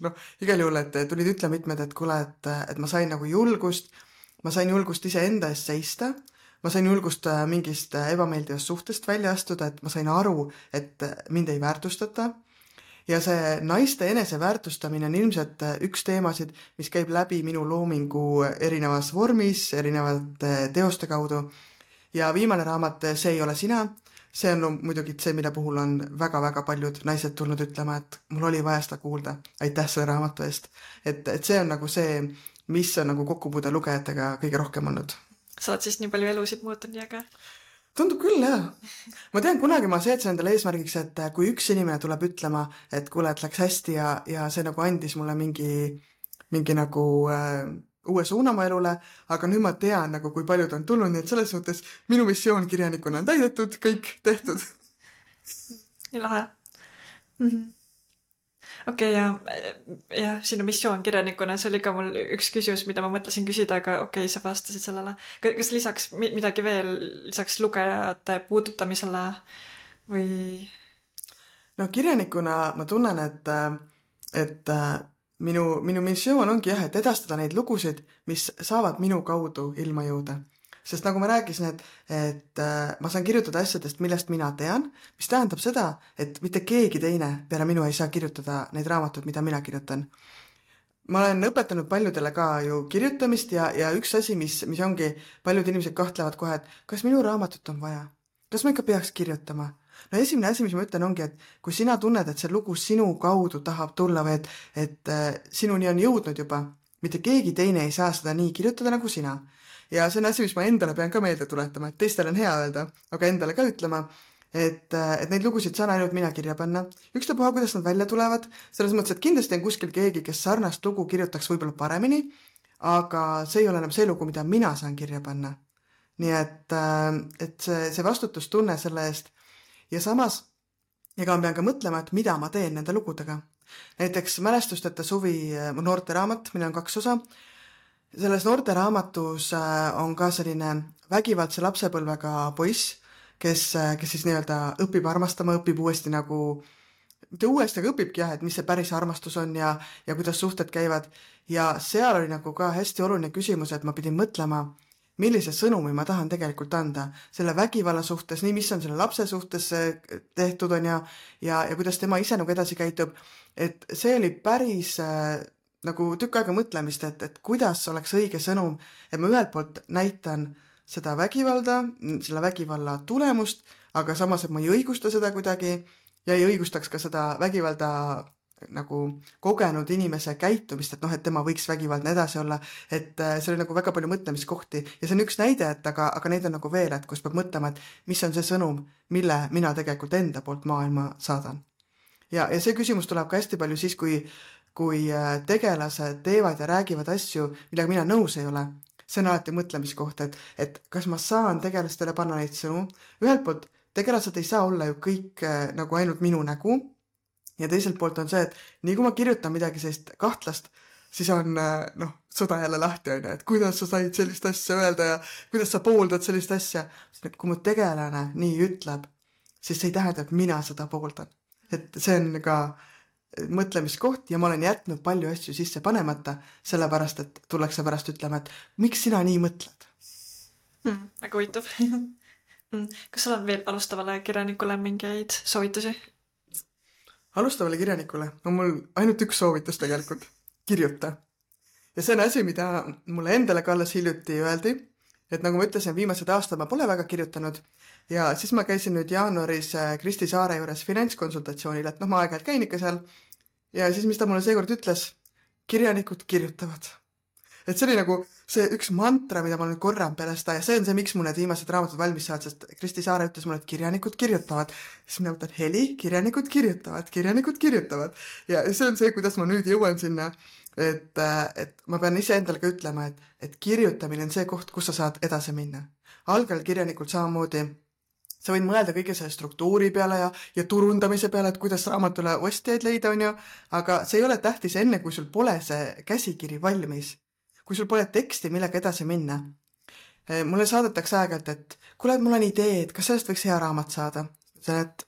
Igal juhul, et tulid ütle mitmed, et kuule, et ma sain nagu julgust, iseenda eest seista, ma sain julgust mingist ebameeldivast suhtest välja astuda, et ma sain aru, et mind ei väärtustata. Ja see naiste eneseväärtustamine on ilmselt üks teemasid, mis käib läbi minu loomingu erinevas vormis, erinevate teoste kaudu. Ja viimane raamat, See ei ole sina, see on muidugi see, mille puhul on väga-väga paljud naised tulnud ütlema, et mul oli vaja seda kuulda. Aitäh selle raamatu eest. Et see on nagu see, mis on nagu kokkupuude lugejatega kõige rohkem olnud. Sa oled siis nii palju elusid muutunud ja ka? Tundub küll, jah. Ma tean, kunagi ma seadsin endale eesmärgiks, et kui üks inimene tuleb ütlema, et kuule, et läks hästi ja see nagu andis mulle mingi nagu uue suuna mu elule, aga nüüd ma tean nagu, kui paljud on tulnud, nii et selles suhtes minu missioon kirjanikuna on täidetud, kõik tehtud. Nii lahe. Okei, ja sinu missioon kirjanikuna, see oli ka mul üks küsimus, mida ma mõtlesin küsida, aga okei, sa vastasid sellele. Kas lisaks midagi veel, lisaks lugejate puudutamisele või? No kirjanikuna ma tunnen, et minu missioon ongi jah, et edastada neid lugusid, mis saavad minu kaudu ilma jõuda. Sest nagu ma rääkisin, et ma saan kirjutada asjadest, millest mina tean, mis tähendab seda, et mitte keegi teine peale minu ei saa kirjutada neid raamatuid, mida mina kirjutan. Ma olen õpetanud paljudele ka ju kirjutamist ja üks asi, mis ongi, paljud inimesed kahtlevad kohe, et kas minu raamatut on vaja? Kas ma ikka peaks kirjutama? No esimene asi, mis ma ütlen, ongi, et kui sina tunned, et see lugu sinu kaudu tahab tulla või et sinuni on jõudnud juba, mitte keegi teine ei saa seda nii kirjutada nagu sina. Ja see on asi, mis ma endale pean ka meelde tuletama, et teistel on hea öelda, aga endale ka ütlema, et neid lugusid saan ainult mina kirja panna. Ükstapuha, kuidas nad välja tulevad, selles mõttes, et kindlasti on kuskil keegi, kes sarnast lugu kirjutaks võib-olla paremini, aga see ei ole enam see lugu, mida mina saan kirja panna. Nii et see vastutustunne selle eest ja samas, ega ma pean ka mõtlema, et mida ma teen nende lugudega. Näiteks Mälestusteta suvi noorteraamat, mille on 2 osa. Selles noorteraamatus on ka selline vägivaldse lapsepõlvega poiss, kes siis nii-öelda õpib armastama, õpib uuesti nagu, mitte uuesti, aga õpibki jah, et mis see päris armastus on ja kuidas suhted käivad. Ja seal oli nagu ka hästi oluline küsimus, et ma pidin mõtlema, millise sõnumi ma tahan tegelikult anda selle vägivalla suhtes, nii mis on selle lapse suhtes tehtud on ja kuidas tema ise nagu edasi käitub. Et see oli päris nagu tükk aega mõtlemist, et kuidas oleks õige sõnum, et ma ühelt poolt näitan seda vägivalda, selle vägivalla tulemust, aga samas, et ma ei õigusta seda kuidagi ja ei õigustaks ka seda vägivalda nagu kogenud inimese käitumist, et tema võiks vägivaldne edasi olla, et see oli nagu väga palju mõtlemiskohti ja see on üks näide, aga neid on nagu veel, et kus peab mõtlema, et mis on see sõnum, mille mina tegelikult enda poolt maailma saadan. Ja see küsimus tuleb ka hästi palju siis, kui tegelased teevad ja räägivad asju, millega mina nõus ei ole. See on alati mõtlemiskoht, et kas ma saan tegelastele panna neid sõnu. Ühelt poolt tegelased ei saa olla ju kõik nagu ainult minu nägu ja teiselt poolt on see, et nii kui ma kirjutan midagi sellist kahtlast, siis on sõda jälle lahti, et kuidas sa said sellist asja öelda ja kuidas sa pooldad sellist asja. Kui mu tegelane nii ütleb, siis see ei tähenda, et mina seda pooldan. Et see on ka mõtlemiskoht ja ma olen jätnud palju asju sisse panemata, sellepärast, et tullakse pärast ütlema, et miks sina nii mõtled? Väga huvitav. Kas sul on veel alustavale kirjanikule mingeid soovitusi? Alustavale kirjanikule on mul ainult üks soovitus tegelikult. Kirjuta. Ja see on asi, mida mulle endale ka alles hiljuti öeldi, et nagu ma ütlesin, viimased aastad ma pole väga kirjutanud ja siis ma käisin nüüd jaanuaris Kristi Saare juures finantskonsultatsioonil, et ma aeg-ajalt käin ikka seal ja siis mis ta mulle seekord ütles, kirjanikud kirjutavad. Et see oli nagu see üks mantra, mida ma nüüd korran peale seda ja see on see, miks mul need viimased raamatud valmis saad, sest Kristi Saare ütles mulle, et kirjanikud kirjutavad. Siis mina mõtlen, Heli, kirjanikud kirjutavad. Ja see on see, kuidas ma nüüd jõuan sinna, et ma pean ise endale ka ütlema, et kirjutamine on see koht, kus sa saad edasi minna. Algal kirjanikult samamoodi sa võid mõelda kõige selle struktuuri peale ja turundamise peale, et kuidas raamatule ostjaid leida on ju, aga see ei ole tähtis enne, kui sul pole see käsikiri valmis. Kui sul pole teksti, millega edasi minna. Mulle saadetakse aeg-ajalt, et kuule, mul on idee, et kas sellest võiks hea raamat saada. See, et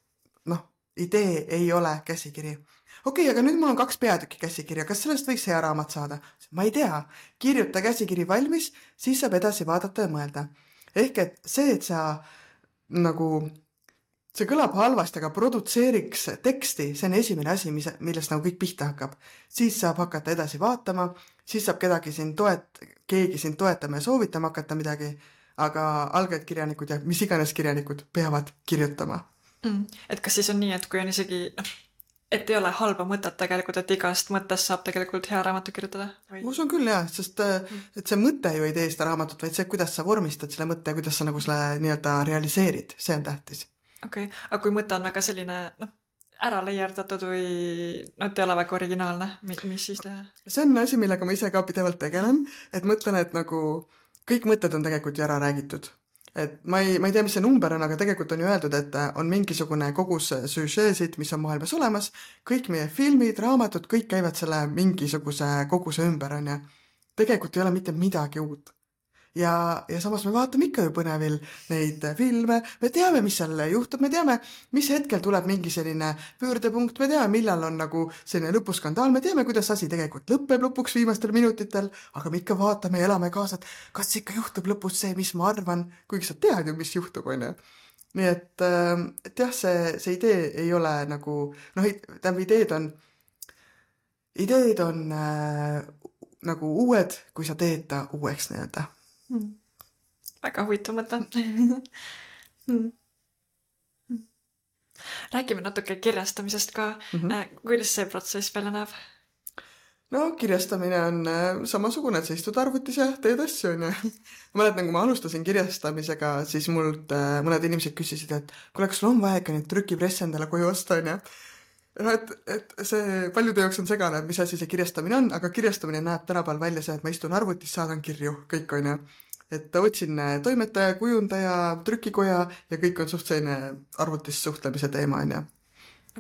idee ei ole käsikiri. Okei, aga nüüd mul on 2 peatükki käsikirja, kas sellest võiks hea raamat saada? Ma ei tea. Kirjuta käsikiri valmis, siis saab edasi vaadata ja mõelda. Ehk et see, et sa see kõlab halvasti, aga produtseeriks teksti, see on esimene asi, millest nagu kõik pihta hakkab. Siis saab hakata edasi vaatama, siis saab keegi sind toetama ja soovitama hakata midagi, aga algajad kirjanikud ja mis iganes kirjanikud peavad kirjutama. Et kas siis on nii, et kui on isegi, et ei ole halba mõtet tegelikult, et igast mõttest saab tegelikult hea raamatu kirjutada? Või? Usun küll jah, sest et see mõte ju ei tee seda raamatut, vaid see, kuidas sa vormistad selle mõtte ja kuidas sa nagu selle nii-öelda realiseerid, see on tähtis. Okei, aga kui mõte on väga selline ära leierdatud või et ei ole väga originaalne, mis siis teha? See on asi, millega ma ise ka pidevalt tegelen, et mõtlen, et nagu kõik mõtted on tegelikult ju ära räägitud. Et ma ei tea, mis see number on, aga tegelikult on ju öeldud, et on mingisugune kogus süžeesid, mis on maailmas olemas, kõik meie filmid, raamatud, kõik käivad selle mingisuguse koguse ümber, on ja tegelikult ei ole mitte midagi uut. Ja samas me vaatame ikka ju põnevil neid filme, me teame, mis seal juhtub, me teame, mis hetkel tuleb mingi selline pöördepunkt, me teame, millal on nagu selline lõpuskandaal, me teame, kuidas asi tegelikult lõpeb lõpuks viimastel minutitel, aga me ikka vaatame ja elame kaasa, et kas ikka juhtub lõpus see, mis ma arvan, kuigi sa tead ju, mis juhtub, on ju. Nii et jah, see idee ei ole nagu, ideed on nagu uued, kui sa teed ta uueks nii-öelda. Väga huvitav mõte. Räägime natuke kirjastamisest ka. Kuidas see protsess välja näeb? No kirjastamine on samasugune, et sa istud arvutis ja teed asju, on ju. Ma mäletan, kui ma alustasin kirjastamisega, siis mult mõned inimesed küsisid, et kuule, kas sul on vaja ikka neid trükipresse endale koju osta, on ju. Et see paljude jaoks on segane, mis asi see kirjastamine on, aga kirjastamine näeb tänapäeval välja see, et ma istun arvutis, saadan kirju, kõik on ju. Et otsin toimetaja, kujundaja, trükikoja ja kõik on suht selline arvutis suhtlemise teema, on ju.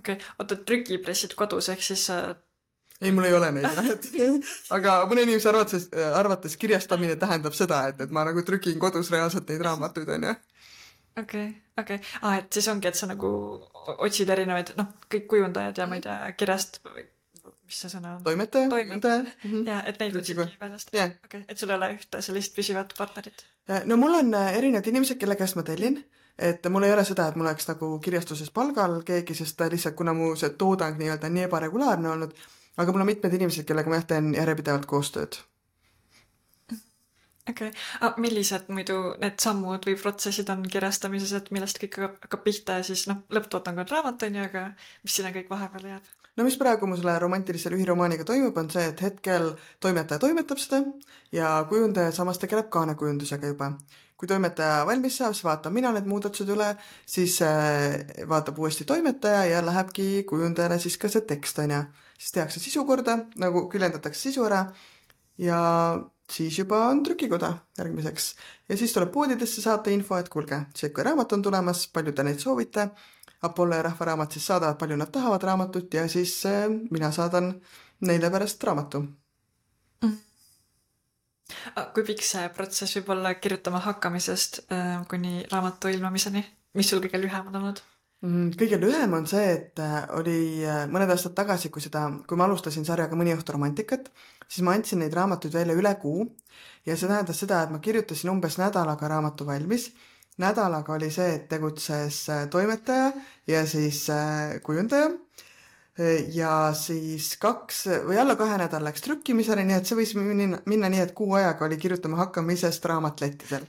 Okei, oota, trükipressid kodus, ehk siis... Ei, mul ei ole neid. Aga mõne inimese arvates kirjastamine tähendab seda, et ma nagu trükin kodus reaalselt neid raamatuid, on ju. Okei. Et siis ongi, et sa nagu otsid erinevaid, kõik kujundajad ja ma ei tea, kirjast, mis see sõna on? Toimetaja. Ja, et neid otsidki väljast. Okei, et sul ei ole ühte sellist püsivat partnerit? No mul on erinevad inimesed, kelle käest ma tellin, et mul ei ole seda, et mul oleks nagu kirjastuses palgal keegi, sest lihtsalt kuna mu see toodang nii-öelda nii ebaregulaarne olnud, aga mul on mitmed inimesed, kellega ma teen järjepidevalt koostööd. Okei. Millised muidu need sammud või protsessid on kirjastamises, et millest kõik hakkab pihta ja siis lõpptootang on raamat, on ju, aga mis sinna kõik vahepeal jääb? No mis praegu mu selle romantilise lühiromaaniga toimub, on see, et hetkel toimetaja toimetab seda ja kujundaja samas tegeleb kaanekujundusega juba. Kui toimetaja valmis saab, siis vaatab mina need muudatused üle, siis vaatab uuesti toimetaja ja lähebki kujundajale siis ka see tekst, on ju. Siis tehakse sisu korda, nagu küljendatakse sisu ära ja siis juba on trükikoda järgmiseks. Ja siis tuleb poodidesse saata info, et kuulge, see raamat on tulemas, palju te neid soovite. Apollo ja Rahvaraamat siis saadavad, palju nad tahavad raamatut ja siis mina saadan neile pärast raamatu. Kui pikk see protsess võib olla kirjutama hakkamisest kuni raamatu ilmumiseni? Mis sul kõige lühem on olnud? Kõige lühem on see, et oli mõned aastad tagasi, kui ma alustasin sarjaga Mõni õhtu romantikat, siis ma andsin neid raamatuid välja üle kuu ja see tähendas seda, et ma kirjutasin umbes nädalaga raamatu valmis. nädalaga oli see, et tegutses toimetaja ja siis kujundaja. Ja siis 2 või alla 2 nädal läks trükkimisele, nii et see võis minna nii, et kuu ajaga oli kirjutama hakkamisest raamat lettidel.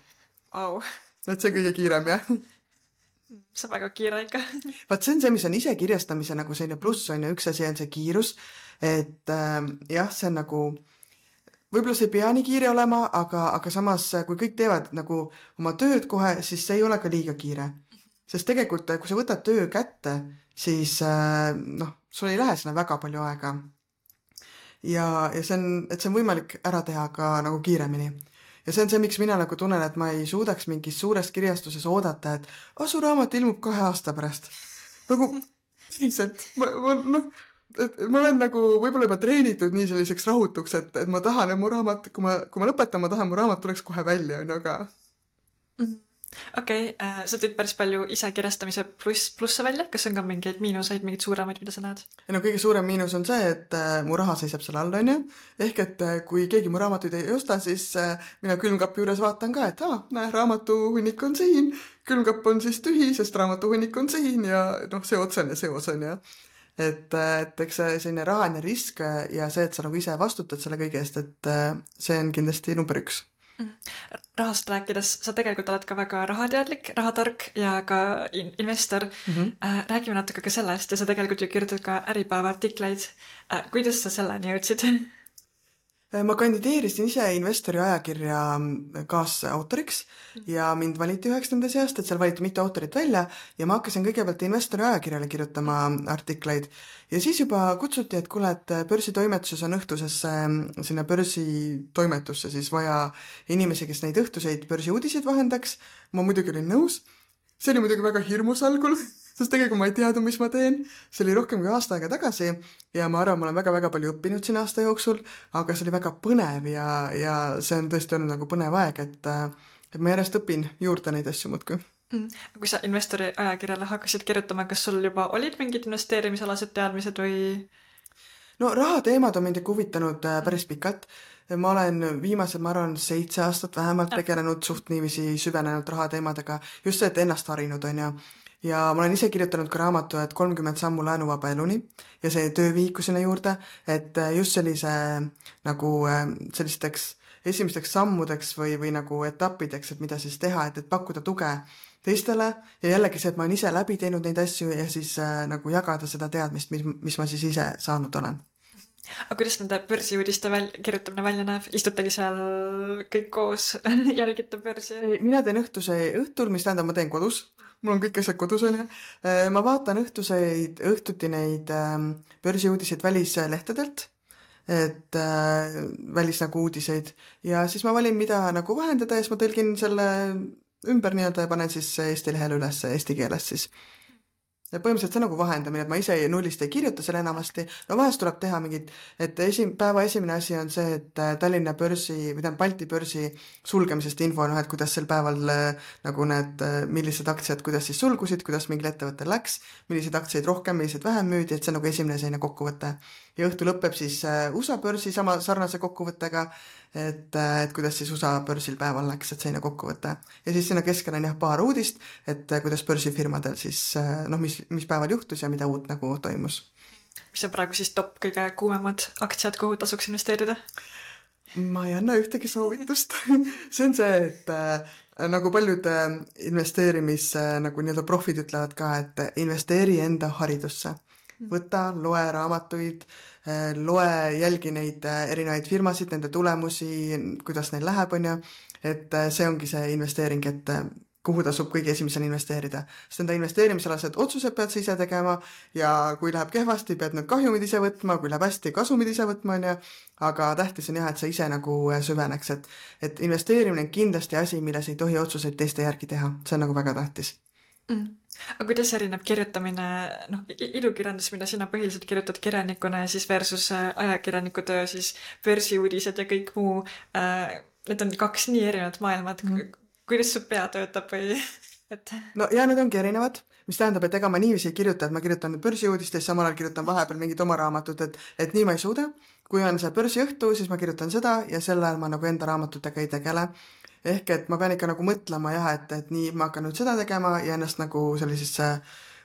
Au. Et see kõige kiirem, jah. See on väga kiire ikka. Vaat see on see, mis on ise kirjastamise nagu selline pluss on ja üks asi on see kiirus, et jah, see on nagu, võib-olla see ei pea nii kiire olema, aga samas, kui kõik teevad nagu oma tööd kohe, siis see ei ole ka liiga kiire. Sest tegelikult, kui sa võtad töö kätte, siis sul ei lähe sinna väga palju aega. Ja see on võimalik ära teha ka nagu kiiremini. Ja see on see, miks mina nagu tunnen, et ma ei suudaks mingis suures kirjastuses oodata, et su raamat ilmub 2 aasta pärast. Nagu, lihtsalt, ma olen nagu võib-olla juba treenitud nii selliseks rahutuks, et ma tahan, et mu raamat, kui ma lõpetan, ma tahan, mu raamat tuleks kohe välja, aga... Okei, sa tõid päris palju ise kirjastamise plusse välja, kas on ka mingeid miinuseid, mingeid suuremaid, mida sa näed? Kõige suurem miinus on see, et mu raha seisab selle all, on ju. Ehk et kui keegi mu raamatuid ei osta, siis mina külmkapi juures vaatan ka, et näe, raamatuhunnik on siin, külmkapp on siis tühi, sest raamatuhunnik on siin ja see otsen ja see osen ja et eks see selline rahaline risk ja see, et sa nagu ise vastutad selle kõige eest, et see on kindlasti number 1. Rahast rääkides, sa tegelikult oled ka väga rahateadlik, rahatark ja ka investor. Räägime natuke ka sellest ja sa tegelikult ju kirjutad ka Äripäeva artikleid. Kuidas sa selleni jõudsid? Ma kandideerisin ise investori ajakirja kaasautoriks ja mind valiti 9. seast, et seal valiti mitu autorit välja ja ma hakkasin kõigepealt investori ajakirjale kirjutama artikleid ja siis juba kutsuti, et kuule, et börsitoimetuses on õhtusesse sinna börsitoimetusse siis vaja inimesi, kes neid õhtuseid börsiuudiseid vahendaks. Ma muidugi olin nõus. See oli muidugi väga hirmus algul, sest tegelikult ma ei teadnud, mis ma teen. See oli rohkem kui aasta aega tagasi ja ma arvan, ma olen väga-väga palju õppinud siin aasta jooksul, aga see oli väga põnev ja see on tõesti olnud nagu põnev aeg, et ma järjest õpin juurde neid asju muudkui. Kui sa investori ajakirjale hakkasid kirjutama, kas sul juba olid mingid investeerimisalased teadmised või? No rahateemad on mind huvitanud päris pikalt. Ma olen viimased, ma arvan, 7 aastat vähemalt tegelenud suht niiviisi süvenenud rahateemadega. Just see, et ennast harinud on ja ma olen ise kirjutanud ka raamatu, et 30 sammu laenuvaba eluni ja see töövihiku sinna juurde, et just sellise nagu sellisteks esimesteks sammudeks või nagu etappideks, et mida siis teha, et pakkuda tuge teistele ja jällegi see, et ma olen ise läbi teinud neid asju ja siis nagu jagada seda teadmist, mis ma siis ise saanud olen. Aga kuidas nende börsiuudiste kirjutamine välja näeb? Istutegi seal kõik koos, jälgite börsi? Mina teen õhtul, mis tähendab, ma teen kodus. Mul on kõik asjad kodus, on. Ma vaatan õhtuti neid börsiuudiseid välislehtedelt, et välis nagu uudiseid ja siis ma valin, mida nagu vahendada ja siis ma tõlgin selle ümber nii-öelda ja panen siis Eesti lehele üles eesti keeles siis. Ja põhimõtteliselt see nagu vahendamine, et ma ise nullist ei kirjuta selle enamasti. No vahest tuleb teha mingid, et päeva esimene asi on see, et Tallinna börsi, või Balti börsi sulgemisest info, et kuidas sel päeval nagu need, millised aktsiad, kuidas siis sulgusid, kuidas mingil ettevõttel läks, millised aktsiaid rohkem, millised vähem müüdi, et see on nagu esimene selline kokkuvõte. Ja õhtu lõpeb siis USA börsi sama sarnase kokkuvõttega, et kuidas siis USA börsil päeval läks, et selline kokkuvõte. Ja siis sinna keskel on paar uudist, et kuidas börsifirmadel siis, mis päeval juhtus ja mida uut nagu toimus. Mis on praegu siis top kõige kuumemad aktsiad, kuhu tasuks investeerida? Ma ei anna ühtegi soovitust. See on see, et nagu paljud investeerimis nagu nii-öelda profid ütlevad ka, et investeeri enda haridusse. Võta, loe raamatuid, jälgi neid erinevaid firmasid, nende tulemusi, kuidas neil läheb, on ju. Et see ongi see investeering, et kuhu tasub kõige esimesena investeerida. Sest enda investeerimisalased otsused pead sa ise tegema ja kui läheb kehvasti, pead need kahjumid ise võtma, kui läheb hästi, kasumid ise võtma, on ju. Aga tähtis on jah, et sa ise nagu süveneks, et investeerimine on kindlasti asi, milles ei tohi otsuseid teiste järgi teha. See on nagu väga tähtis. Aga kuidas erineb kirjutamine, ilukirjandus, mida sina põhiliselt kirjutad kirjanikuna ja siis versus ajakirjaniku töö, siis börsiuudised ja kõik muu, need on 2 nii erinevat maailmad. Kuidas su pea töötab või? No ja need ongi erinevad, mis tähendab, et ega ma niiviisi ei kirjuta, et ma kirjutan börsiuudistest, samal ajal kirjutan vahepeal mingid oma raamatut, et nii ma ei suuda. Kui on see börsiõhtu, siis ma kirjutan seda ja sel ajal ma nagu enda raamatutega ei tegele. ehk et ma pean ikka nagu mõtlema jah, et nii ma hakkan nüüd seda tegema ja ennast nagu sellisesse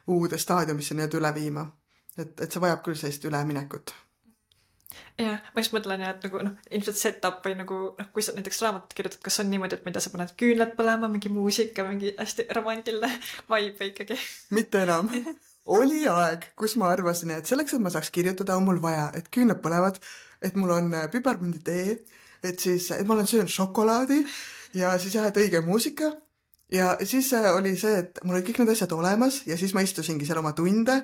uude staadiumisse nii-öelda üle viima. Et see vajab küll sellist üleminekut. Jah, ma just mõtlen ja, et nagu ilmselt setup või nagu kui sa näiteks raamatut kirjutad, kas on niimoodi, et mida sa paned küünlad põlema, mingi muusika, mingi hästi romantiline vibe ikkagi? Mitte enam. Oli aeg, kus ma arvasin, et selleks, et ma saaks kirjutada, on mul vaja, et küünlad põlevad, et mul on piparmünditee, et ma olen söönud šokolaadi ja siis jah, et õige muusika. Ja siis oli see, et mul olid kõik need asjad olemas ja siis ma istusingi seal oma tunde,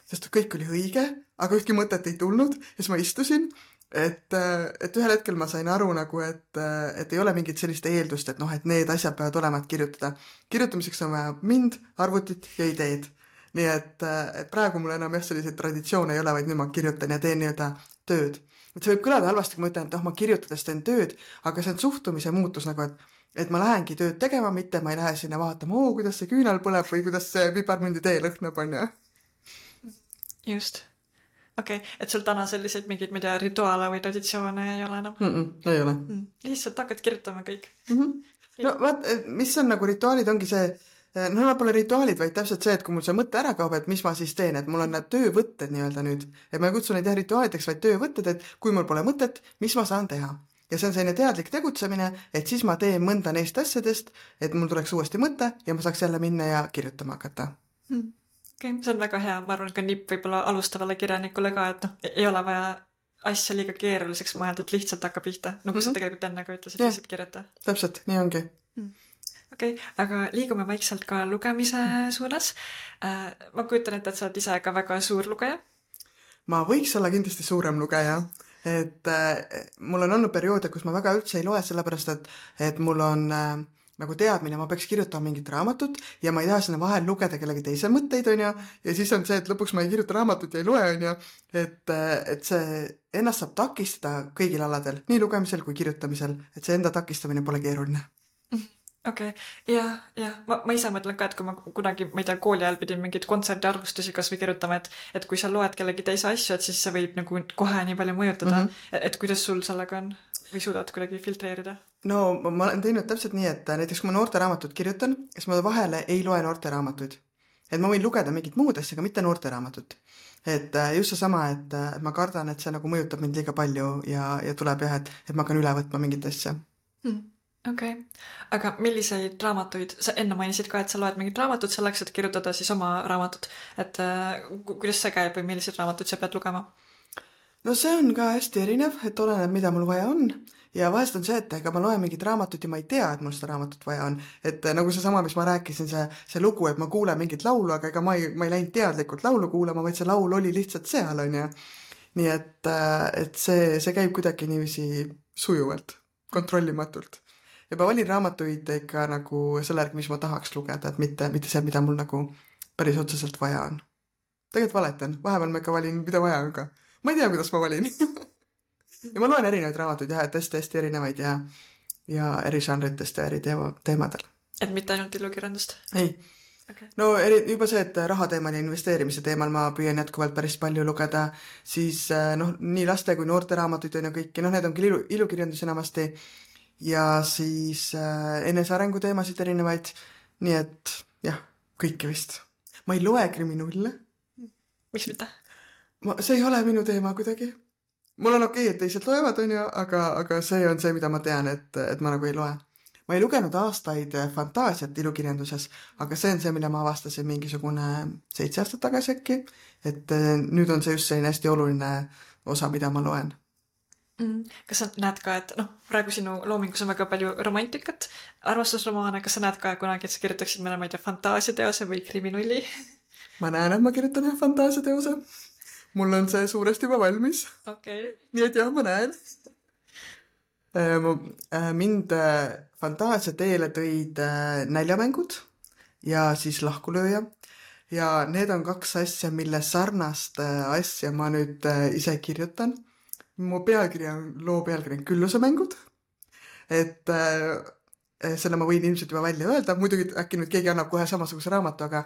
sest kõik oli õige, aga ühtki mõtet ei tulnud ja siis ma istusin, et ühel hetkel ma sain aru nagu, et ei ole mingit sellist eeldust, et et need asjad peavad olema, et kirjutada. Kirjutamiseks on vaja mind, arvutit ja ideed. Nii et praegu mul enam jah selliseid traditsioone ei ole, vaid nüüd ma kirjutan ja teen nii-öelda tööd. Et see võib kõlada halvasti, kui ma ütlen, et ma kirjutades teen tööd, aga see on suhtumise muutus nagu, et ma lähengi tööd tegema, mitte ma ei lähe sinna vaatama, kuidas see küünal põleb või kuidas see piparmünditee lõhnab, on ju. Just. Okei, et sul täna selliseid mingeid, ma ei tea, rituaale või traditsioone ei ole enam? Ei ole. Lihtsalt hakkad kirjutama kõik. No vaat, mis on nagu rituaalid, ongi see, nad pole rituaalid, vaid täpselt see, et kui mul see mõte ära kaob, et mis ma siis teen, et mul on need töövõtted nii-öelda nüüd. Et ma ei kutsu neid rituaalideks, vaid töövõtted, et kui mul pole mõtet, mis ma saan teha. Ja see on selline teadlik tegutsemine, et siis ma teen mõnda neist asjadest, et mul tuleks uuesti mõte ja ma saaks jälle minna ja kirjutama hakata. Okay. See on väga hea, ma arvan, ka nipp võib-olla alustavale kirjanikule ka, et ei ole vaja asja liiga keeruliseks mõelda, et lihtsalt hakka pihta. Nagu sa tegelikult enne ka ütlesid, lihtsalt kirjuta. Täpselt, nii ongi. Okei, aga liigume vaikselt ka lugemise suunas. Ma kujutan ette, et sa oled ise ka väga suur lugeja. Ma võiks olla kindlasti suurem lugeja. Et mul on olnud perioode, kus ma väga üldse ei loe, sellepärast et mul on nagu teadmine, ma peaks kirjutama mingit raamatut ja ma ei taha sinna vahel lugeda kellegi teise mõtteid, on ju, ja siis on see, et lõpuks ma ei kirjuta raamatut ja ei loe, on ju, et see ennast saab takistada kõigil aladel, nii lugemisel kui kirjutamisel, et see enda takistamine pole keeruline. Okei, ja ma ise mõtlen ka, et kui ma kunagi, ma ei tea, kooli ajal pidin mingid kontserdiarvustusi kas või kirjutama, et kui sa loed kellegi teise asju, et siis see võib nagu kohe nii palju mõjutada, et kuidas sul sellega on või suudad kuidagi filtreerida? No ma olen teinud täpselt nii, et näiteks kui ma noorteraamatut kirjutan, siis ma vahele ei loe noorteraamatuid. Et ma võin lugeda mingit muud asja, aga mitte noorteraamatut. Et just seesama, et ma kardan, et see nagu mõjutab mind liiga palju ja tuleb jah, et ma hakkan üle võtma mingit asja. Okei. Aga milliseid raamatuid, sa enne mainisid ka, et sa loed mingit raamatut selleks, et kirjutada siis oma raamatut, et kuidas see käib või milliseid raamatuid sa pead lugema? No see on ka hästi erinev, et oleneb, mida mul vaja on ja vahest on see, et ega ma loen mingit raamatut ja ma ei tea, et mul seda raamatut vaja on, et nagu seesama, mis ma rääkisin, see lugu, et ma kuulen mingit laulu, aga ega ma ei läinud teadlikult laulu kuulama, vaid see laul oli lihtsalt seal, on ju. Nii et see käib kuidagi niiviisi sujuvalt, kontrollimatult. Ja ma valin raamatuid ikka nagu selle järgi, mis ma tahaks lugeda, et mitte see, mida mul nagu päris otseselt vaja on. Tegelikult valetan, vahepeal ma ikka valin, mida vaja on ka. Ma ei tea, kuidas ma valin. Ja ma loen erinevaid raamatuid jah, et hästi erinevaid ja eri žanritest ja eri teemadel. Et mitte ainult ilukirjandust? Ei. Okay. No juba see, et rahateemal ja investeerimise teemal ma püüan jätkuvalt päris palju lugeda, siis nii laste kui noorte raamatuid on ju kõiki, need on küll ilukirjandus enamasti ja siis enesearengu teemasid erinevaid, nii et jah, kõike vist. Ma ei loe kriminulle. Miks mitte? See ei ole minu teema kuidagi. Mul on okei, et teised loevad, on ju, aga see on see, mida ma tean, et ma nagu ei loe. Ma ei lugenud aastaid fantaasiat ilukirjanduses, aga see on see, mille ma avastasin mingisugune 7 aastat tagasi äkki, et nüüd on see just selline hästi oluline osa, mida ma loen. Kas sa näed ka, et praegu sinu loomingus on väga palju romantikat, armastusromaane, kas sa näed ka kunagi, et sa kirjutaksid meile, ma ei tea, fantaasiateose või kriminulli? Ma näen, et ma kirjutan fantaasiateose. Mul on see suuresti juba valmis. Okay. Nii et jah, ma näen. Mind fantaasia teele tõid näljamängud ja siis lahkulööja. Ja need on 2 asja, mille sarnast asja ma nüüd ise kirjutan. Mu loo pealkiri on Küllusemängud. Et selle ma võin ilmselt juba välja öelda. Muidugi äkki nüüd keegi annab kohe samasuguse raamatu, aga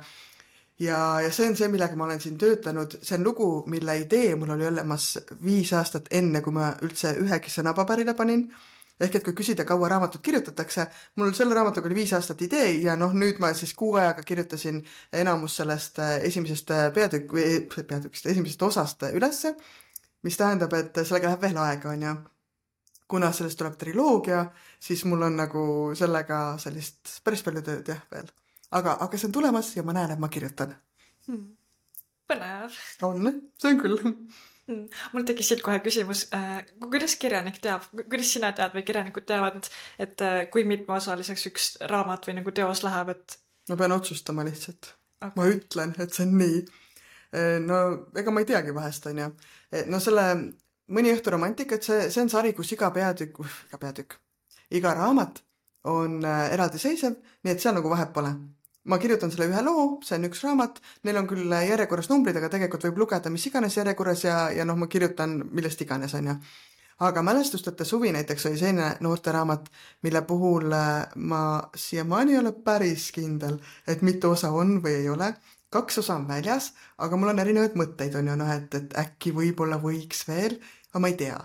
ja see on see, millega ma olen siin töötanud. See on lugu, mille idee mul oli olemas 5 aastat enne, kui ma üldse ühegi sõna paberile panin. ehk et kui küsida, kaua raamatut kirjutatakse, mul selle raamatuga oli 5 aastat idee ja noh, nüüd ma siis 6 ajaga kirjutasin enamus sellest esimesest esimesest osast ülesse, mis tähendab, et sellega läheb veel aega, on ju. Kuna sellest tuleb triloogia, siis mul on nagu sellega sellist päris palju tööd jah veel. Aga see on tulemas ja ma näen, et ma kirjutan. Põnev. On, see on küll. Mul tekkis siit kohe küsimus, kuidas kirjanik teab, kuidas sina tead või kirjanikud teavad, et kui mitmeosaliseks üks raamat või nagu teos läheb, et... Ma pean otsustama lihtsalt. Okay. Ma ütlen, et see on nii. No, ega ma ei teagi vahest, on ju. No selle Mõni õhtu romantikat, see on sari, kus iga raamat on eraldiseisev, nii et seal nagu vahet pole. Ma kirjutan selle ühe loo, see on üks raamat, neil on küll järjekorras numbrid, aga tegelikult võib lugeda mis iganes järjekorras ja noh, ma kirjutan millest iganes, on ju. Aga Mälestusteta suvi näiteks oli selline noorteraamat, mille puhul ma siiamaani ei ole päris kindel, et mitu osa on või ei ole. 2 osa on väljas, aga mul on erinevaid mõtteid, on ju, noh, et äkki võib-olla võiks veel, aga ma ei tea.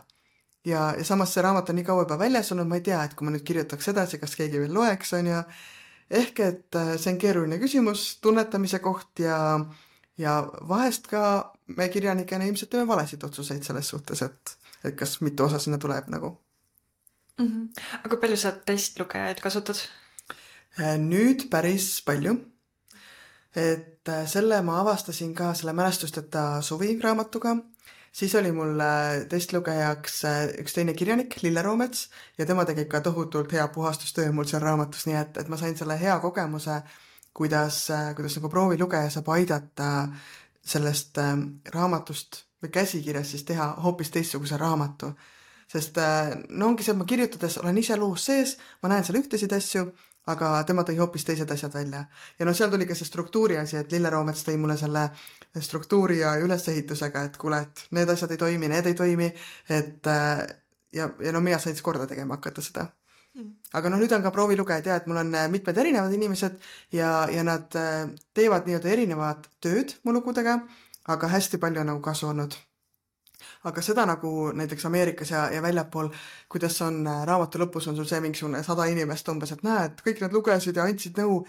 Ja samas see raamat on nii kaua juba väljas olnud, ma ei tea, et kui ma nüüd kirjutaks edasi, kas keegi veel loeks, on ju. Ehk et see on keeruline küsimus, tunnetamise koht ja vahest ka me kirjanikena ilmselt teeme valesid otsuseid selles suhtes, et kas mitu osa sinna tuleb nagu. Aga kui palju sa testlugejaid kasutad? Nüüd päris palju. Et selle ma avastasin ka selle Mälestusteta suvi raamatuga. Siis oli mul testlugejaks üks teine kirjanik, Lille Roomets, ja tema tegi ka tohutult hea puhastustöö mul seal raamatus, nii et ma sain selle hea kogemuse, kuidas nagu proovilugeja saab aidata sellest raamatust või käsikirjas siis teha hoopis teistsuguse raamatu. Sest no ongi see, et ma kirjutades olen ise loos sees, ma näen seal ühtesid asju, aga tema tõi hoopis teised asjad välja. Ja no seal tuli ka see struktuuri asi, et Lille Roomets tõi mulle selle struktuuri ja ülesehitusega, et kuule, et need asjad ei toimi, need ei toimi, et ja no mina sain siis korda tegema hakata seda. Aga no nüüd on ka proovilugejad ja, et mul on mitmed erinevad inimesed ja nad teevad nii-öelda erinevad tööd mu lugudega, aga hästi palju on nagu kasu olnud. Aga seda nagu näiteks Ameerikas ja väljapool, kuidas on raamatu lõpus on sul see mingisugune 100 inimest umbes, et näed, kõik nad lugesid ja andsid nõu.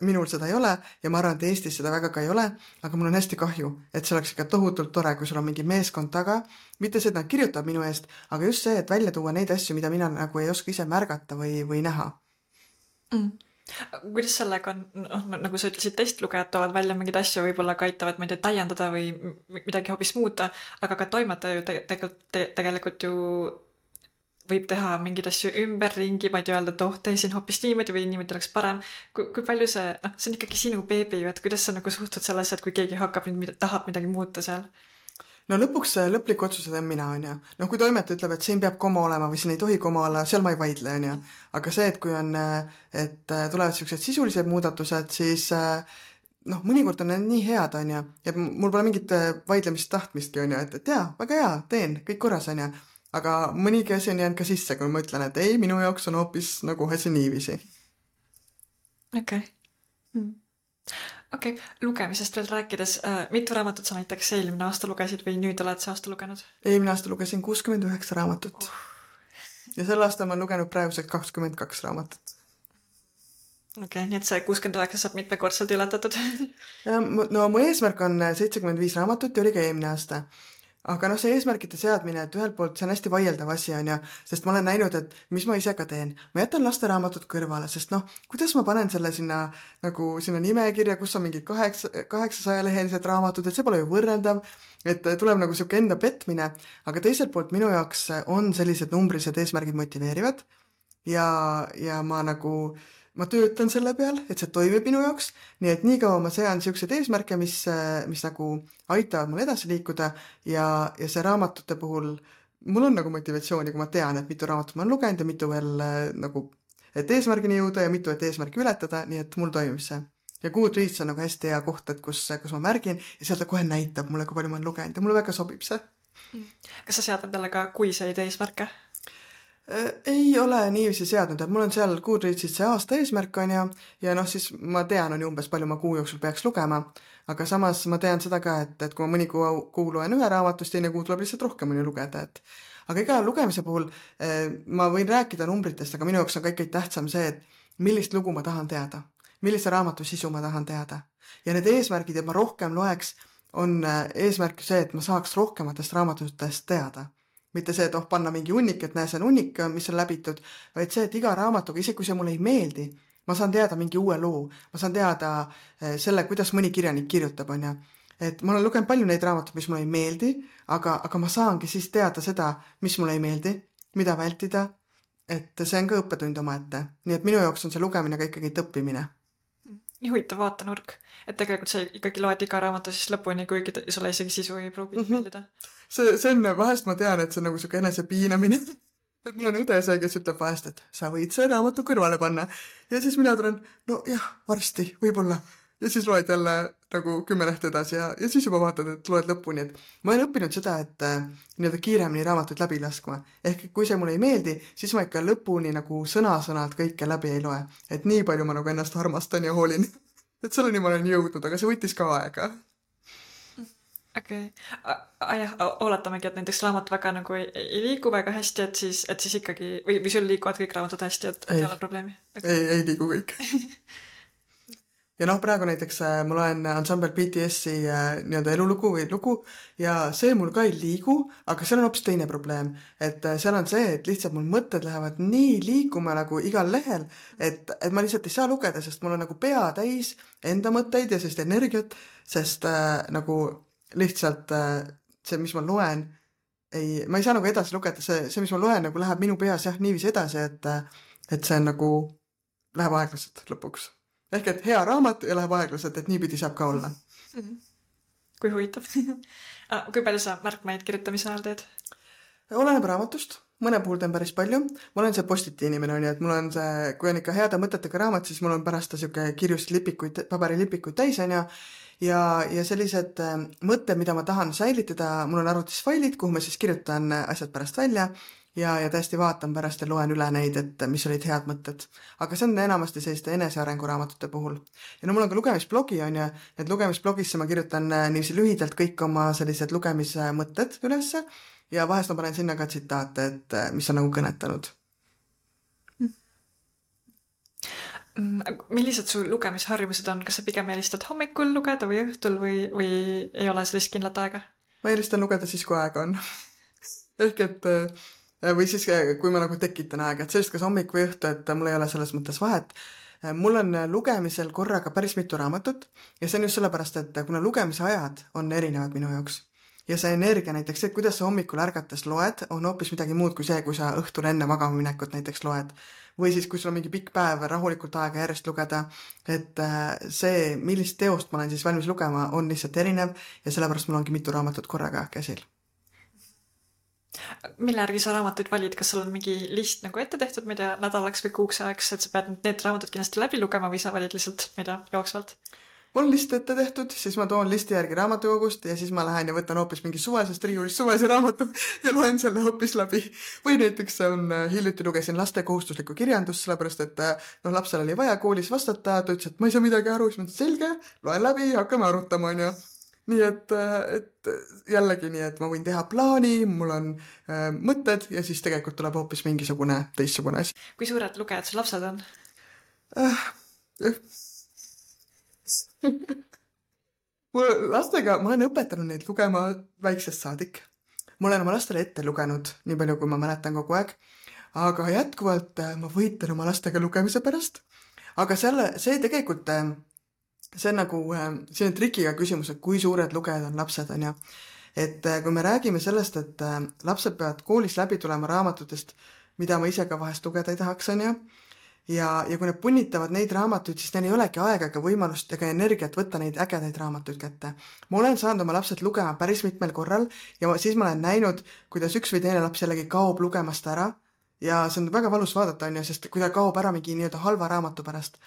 Minul seda ei ole ja ma arvan, et Eestis seda väga ka ei ole, aga mul on hästi kahju, et see oleks ikka tohutult tore, kui sul on mingi meeskond taga. Mitte see, et nad kirjutab minu eest, aga just see, et välja tuua neid asju, mida mina nagu ei oska ise märgata või näha. Kuidas sellega on, nagu sa ütlesid, testlugejad toovad välja mingid asju, võib-olla ka aitavad meid täiendada või midagi hoopis muuta, aga ka toimetaja ju tegelikult ju võib teha mingid asju ümberringi, ma ei tea öelda, et tee siin hoopis niimoodi või niimoodi oleks parem. Kui palju see on ikkagi sinu beebi, et kuidas sa nagu suhtud selles, et kui keegi hakkab tahab midagi muuta seal? No lõpuks lõplik otsuse teen mina, on ju. No kui toimetaja ütleb, et siin peab koma olema või siin ei tohi koma olla, seal ma ei vaidle, on ju. Aga see, et kui on, et tulevad sellised sisulised muudatused, siis noh, mõnikord on need nii head, on ju. Ja mul pole mingit vaidlemist tahtmistki, on ju, et jaa, väga hea, teen, kõik korras, on ju. Aga mõnigi asi on jäänud ka sisse, kui ma ütlen, et ei, minu jaoks on hoopis nagu asi niiviisi. Okei, lugemisest veel rääkides, mitu raamatut sa näiteks eelmine aasta lugesid või nüüd oled see aasta lugenud? Eelmine aasta lugesin 69 raamatut. Ja sel aastal ma olen lugenud praeguseks 22 raamatut. Okei, nii et see 69 saab mitmekordselt ületatud. No mu eesmärk on 75 raamatut ja oli ka eelmine aasta. Aga noh, see eesmärkide seadmine, et ühelt poolt see on hästi vaieldav asi, on ju, sest ma olen näinud, et mis ma ise ka teen. Ma jätan lasteraamatut kõrvale, sest noh, kuidas ma panen selle sinna nimekirja, kus on mingid 800-lehelised raamatud, et see pole ju võrreldav, et tuleb nagu siuke enda petmine, aga teiselt poolt minu jaoks on sellised numbrilised eesmärgid motiveerivad ja ma töötan selle peal, et see toimib minu jaoks, nii et nii kaua ma sean siukseid eesmärke, mis nagu aitavad mul edasi liikuda ja see raamatute puhul mul on nagu motivatsiooni, kui ma tean, et mitu raamatut ma olen lugenud ja mitu veel nagu, et eesmärgini jõuda ja mitu, et eesmärki ületada, nii et mul toimib see. Ja Goodreads on nagu hästi hea koht, et kus ma märgin ja seal ta kohe näitab mulle, kui palju ma olen lugenud ja mulle väga sobib see. Kas sa sead endale ka kuiseid eesmärke? Ei ole niiviisi seadnud, et mul on seal Goodreadsis see aasta eesmärk on ja noh, siis ma tean on umbes palju ma kuu jooksul peaks lugema, aga samas ma tean seda ka, et kui ma mõni kuu loen ühe raamatust, teine kuu tuleb lihtsalt rohkem mõni lugeda, aga iga lugemise puhul ma võin rääkida numbritest, aga minu jaoks on kõik tähtsam see, et millist lugu ma tahan teada, millise raamatu sisu ma tahan teada. Ja need eesmärgid, et ma rohkem loeks, on eesmärk see, et ma saaks rohkematest raamatutest teada. Mitte see, et panna mingi hunnik, et näe, see on hunnik, mis on läbitud, vaid see, et iga raamatuga, isegi kui see mulle ei meeldi, ma saan teada mingi uue loo, ma saan teada selle, kuidas mõni kirjanik kirjutab, on ja. Et ma olen lugenud palju neid raamatuid, mis mulle ei meeldi, aga ma saangi siis teada seda, mis mulle ei meeldi, mida vältida, et see on ka õppetund omaette. Nii et minu jaoks on see lugemine ka ikkagi õppimine. Nii huvitav vaatenurk, et tegelikult sa ikkagi loed iga raamatu siis lõpuni, kuigi sulle isegi sisu ei pruugi meeldida. See on, vahest ma tean, et see on nagu siuke enese piinamine. Et mul on õde see, kes ütleb vahest, et sa võid see raamatu kõrvale panna. Ja siis mina tulen, no jah, varsti, võib-olla. Ja siis loed jälle nagu 10 lehte edasi ja siis juba vaatad, et loed lõpuni. Et ma olen õppinud seda, et nii-öelda kiiremini raamatuid läbi laskma. Ehk kui see mulle ei meeldi, siis ma ikka lõpuni nagu sõna-sõnalt kõike läbi ei loe. Et nii palju ma nagu ennast armastan ja hoolin. Et selleni ma olen jõudnud, aga see võttis ka aega. Okei. Jah, oletamegi, et näiteks raamat väga nagu ei liigu väga hästi, et siis ikkagi, või sul liikuvad kõik raamatud hästi, et ei ole probleemi? Ei liigu kõik. Ja praegu näiteks ma loen Ensemble BTS-i nii-öelda elulugu või lugu ja see mul ka ei liigu, aga seal on hoopis teine probleem. Et seal on see, et lihtsalt mul mõtted lähevad nii liikuma nagu igal lehel, et ma lihtsalt ei saa lugeda, sest mul on nagu pea täis enda mõtteid ja sellist energiat, sest nagu lihtsalt see, mis ma loen, ma ei saa nagu edasi lugeda, see, mis ma loen, nagu läheb minu peas niiviisi edasi, et see on nagu, läheb aeglaselt lõpuks. Ehk et hea raamat ja läheb aeglaselt, et niipidi saab ka olla. Kui huvitav. Kui palju sa märkmeid kirjutamise ajal teed? Oleneb raamatust. Mõne puhul teen päris palju. Ma olen see postiti inimene, et mul on see, kui on ikka heade mõtetega raamat, siis mul on pärast siuke kirjust lipikuid, paberilipikuid täis ja sellised mõtted, mida ma tahan säilitada, mul on arvutis failid, kuhu ma siis kirjutan asjad pärast välja ja täiesti vaatan pärast ja loen üle neid, et mis olid head mõtted. Aga see on enamasti selliste enesearenguraamatute puhul. Ja mul on ka lugemisblogi ja need lugemisblogisse ma kirjutan niiviisi lühidalt kõik oma sellised lugemismõtted ülesse ja vahest ma panen sinna ka tsitaate, et mis on nagu kõnetanud. Millised su lugemisharjumused on? Kas sa pigem eelistad hommikul lugeda või õhtul või ei ole sellist kindlat aega? Ma eelistan lugeda siis, kui aega on. Ehk et või siis, kui ma nagu tekitan aega, et sellist kas hommik või õhtu, et mul ei ole selles mõttes vahet. Mul on lugemisel korraga päris mitu raamatut ja see on just sellepärast, et kuna lugemise ajad on erinevad minu jaoks ja see energia näiteks, et kuidas sa hommikul ärgates loed, on hoopis midagi muud kui see, kui sa õhtul enne magama minekut näiteks loed. Või siis, kui sul on mingi pikk päev rahulikult aega järjest lugeda, et see, millist teost ma olen siis valmis lugema, on lihtsalt erinev ja sellepärast mul ongi mitu raamatut korraga käsil. Mille järgi sa raamatuid valid? Kas sul on mingi list nagu ette tehtud, mida nädalaks või kuuks ajaks, et sa pead need raamatud kindlasti läbi lugema või sa valid lihtsalt, mida jooksvalt? Mul on list ette tehtud, siis ma toon listi järgi raamatukogust ja siis ma lähen ja võtan hoopis mingi suvesest riiulist suvese raamatu ja loen selle hoopis läbi. Või näiteks hiljuti lugesin laste kohustuslikku kirjandust, sellepärast et lapsel oli vaja koolis vastata, ta ütles, et ma ei saa midagi aru, siis ma ütlesin, selge, loen läbi, hakkame arutama, on ju. Nii et jällegi nii, et ma võin teha plaani, mul on mõtted ja siis tegelikult tuleb hoopis mingisugune teistsugune asi. Kui suured lugejad sul lapsed on? Lastega ma olen õpetanud neid lugema väiksest saadik. Ma olen oma lastele ette lugenud, nii palju kui ma mäletan kogu aeg. Aga jätkuvalt ma võitlen oma lastega lugemise pärast. Aga see tegelikult... See on nagu selline trikiga küsimus, et kui suured lugejad on lapsed, on ja. Et kui me räägime sellest, et lapsed peavad koolis läbi tulema raamatutest, mida ma ise ka vahest lugeda ei tahaks, on ja. Ja kui need punnitavad neid raamatuid, siis neil ei olegi aega ega võimalust ega energiat võtta neid ägedaid raamatuid kätte. Ma olen saanud oma lapsed lugema päris mitmel korral ja siis ma olen näinud, kuidas üks või teine laps jällegi kaob lugemast ära ja see on väga valus vaadata, on ja, sest kui ta kaob ära mingi nii-öelda halva raamatu pärast.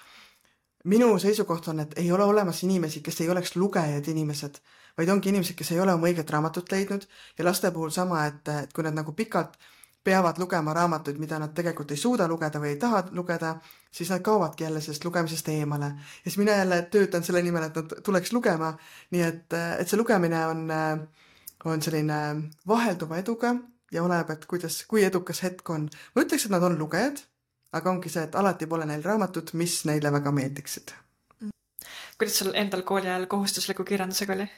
Minu seisukoht on, et ei ole olemas inimesi, kes ei oleks lugejad inimesed, vaid ongi inimesed, kes ei ole oma õiget raamatut leidnud ja laste puhul sama, et kui nad nagu pikalt peavad lugema raamatuid, mida nad tegelikult ei suuda lugeda või ei taha lugeda, siis nad kaovadki jälle sellest lugemisest eemale. Ja siis mina jälle töötan selle nimel, et nad tuleks lugema, nii et see lugemine on selline vahelduva eduga ja oleneb, et kui edukas hetk on. Ma ütleks, et nad on lugejad, aga ongi see, et alati pole neil raamatut, mis neile väga meeldiksid. Kuidas sul endal kooli ajal kohustusliku kirjandusega oli?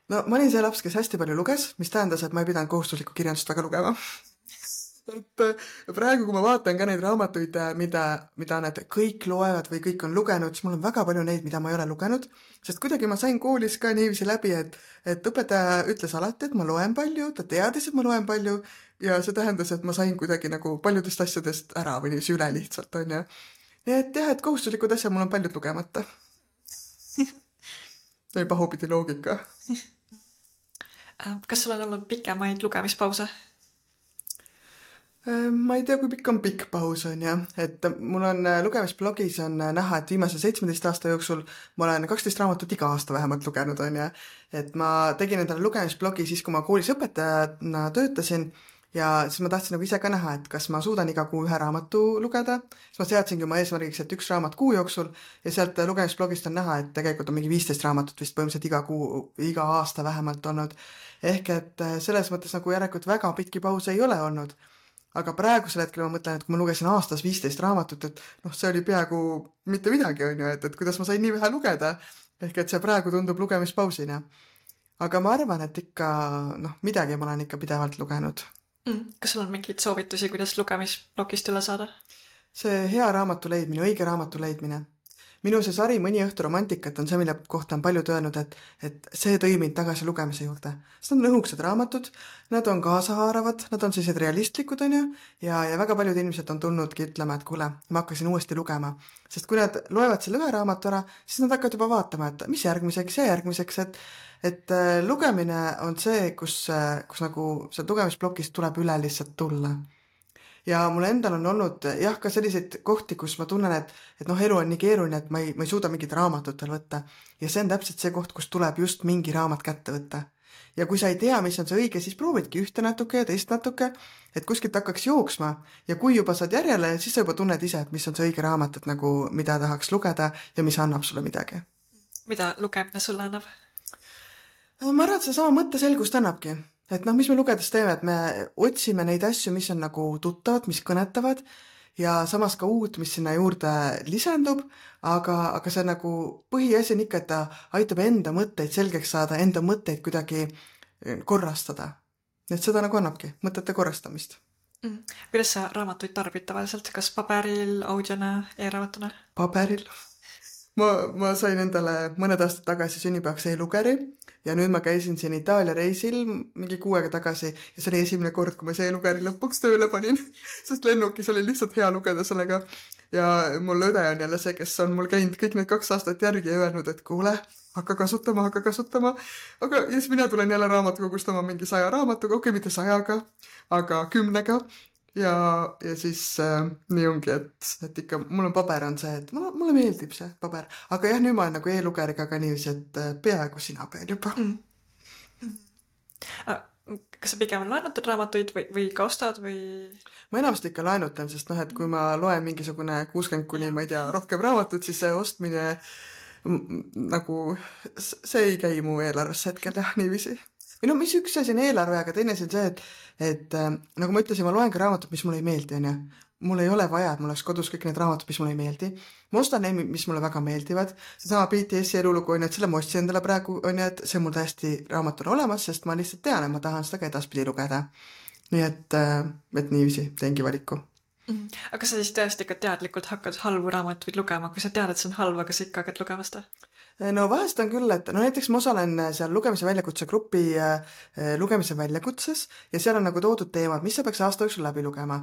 No ma olin see laps, kes hästi palju luges, mis tähendas, et ma ei pidanud kohustuslikku kirjandust väga lugema. Et praegu, kui ma vaatan ka neid raamatuid, mida need kõik loevad või kõik on lugenud, siis mul on väga palju neid, mida ma ei ole lugenud, sest kuidagi ma sain koolis ka niiviisi läbi, et õpetaja ütles alati, et ma loen palju, ta teadis, et ma loen palju ja see tähendas, et ma sain kuidagi nagu paljudest asjadest ära või niiviisi üle lihtsalt, on ju. Nii et jah, et kohustuslikud asjad mul on paljud lugemata. See oli pahupidi loogika. Kas sul on olnud pikemaid lugemispause? Ma ei tea, kui pikk on pikk paus on jah, et mul on lugemisblogis on näha, et viimase 17 aasta jooksul ma olen 12 raamatut iga aasta vähemalt lugenud on ja et ma tegin endale lugemisblogi siis, kui ma koolis õpetajana töötasin ja siis ma tahtsin nagu ise ka näha, et kas ma suudan iga kuu ühe raamatu lugeda, siis ma seadsingi oma eesmärgiks, et 1 raamat kuu jooksul ja sealt lugemisblogist on näha, et tegelikult on mingi 15 raamatut vist põhimõtteliselt iga aasta vähemalt olnud. Ehk et selles mõttes nagu järelikult väga pikki pause ei ole olnud. Aga praegusel hetkel ma mõtlen, et kui ma lugesin aastas 15 raamatut, et see oli peaaegu mitte midagi, on ju, et kuidas ma sain nii vähe lugeda. Ehk et see praegu tundub lugemispausina. Aga ma arvan, et ikka, midagi ma olen ikka pidevalt lugenud. Kas sul on mingeid soovitusi, kuidas lugemisblogist üle saada? See hea raamatu leidmine, õige raamatu leidmine. Minu see sari Mõni õhtu romantikat on see, mille kohta on paljud öelnud, et see tõi mind tagasi lugemise juurde. Sest nad on õhuksed raamatud, nad on kaasahaaravad, nad on sellised realistlikud, on ju, ja väga paljud inimesed on tulnudki ütlema, et kuule, ma hakkasin uuesti lugema. Sest kui nad loevad selle ühe raamatu ära, siis nad hakkavad juba vaatama, et mis järgmiseks ja järgmiseks, et lugemine on see, kus nagu see lugemisblokist tuleb üle lihtsalt tulla. Ja mul endal on olnud jah ka selliseid kohti, kus ma tunnen, et elu on nii keeruline, et ma ei suuda mingit raamatut veel võtta. Ja see on täpselt see koht, kus tuleb just mingi raamat kätte võtta. Ja kui sa ei tea, mis on see õige, siis proovidki ühte natuke ja teist natuke, et kuskilt hakkaks jooksma. Ja kui juba saad järjele, siis sa juba tunned ise, et mis on see õige raamat, et nagu mida tahaks lugeda ja mis annab sulle midagi. Mida lugemine sulle annab? Ma arvan, et see sama mõtteselgust annabki. Et mis me lugedes teeme, et me otsime neid asju, mis on nagu tuttavad, mis kõnetavad ja samas ka uut, mis sinna juurde lisandub, aga see nagu põhiasi on ikka, et ta aitab enda mõtteid selgeks saada, enda mõtteid kuidagi korrastada. Et seda nagu annabki, mõtete korrastamist. Kuidas sa raamatuid tarbid tavaliselt? Kas paberil, audiona, e-raamatuna? Paberil. Ma sain endale mõned aastad tagasi sünnipäevaks e-lugeri ja nüüd ma käisin siin Itaalia reisil mingi 6 aega tagasi ja see oli esimene kord, kui ma see e-lugeri lõpuks tööle panin, sest lennukis oli lihtsalt hea lugeda sellega. Ja mul õde on jälle see, kes on mul käinud kõik need 2 aastat järgi ja öelnud, et kuule, hakka kasutama. Aga ja siis mina tulen jälle raamatukogust oma mingi 100 raamatuga, okei, mitte 100-ga, aga 10-ga. Ja siis nii ongi, et ikka mul on paber on see, et mulle meeldib see paber. Aga jah, nüüd ma olen nagu e-lugeriga ka niiviisi, et peaaegu sina peal juba. Kas sa pigem laenutad raamatuid või ka ostad või? Ma enamasti ikka laenutan, sest et kui ma loen mingisugune 60 kuni, ma ei tea, rohkem raamatut, siis see ostmine nagu see ei käi mu eelarvesse hetkel jah, niiviisi. Või mis üks asi on eelarve, aga teine asi on see, et nagu ma ütlesin, ma loen ka raamatut, mis mulle ei meeldi, on ju. Mul ei ole vaja, et mul oleks kodus kõik need raamatud, mis mulle ei meeldi. Ma ostan neid, mis mulle väga meeldivad. Seesama BTS-i elulugu on ju, et selle ma ostsin endale praegu, on ju, et see mul täiesti raamatuna olemas, sest ma lihtsalt tean, et ma tahan seda ka edaspidi lugeda. Nii et niiviisi teengi valiku. Aga sa siis tõesti ikka teadlikult hakkad halvu raamatuid lugema, kui sa tead, et see on halb, aga sa ikka hakkad lugema seda? No vahest on küll, et näiteks ma osalen seal lugemise väljakutse grupi lugemise väljakutses ja seal on nagu toodud teemad, mis sa peaks aasta jooksul läbi lugema.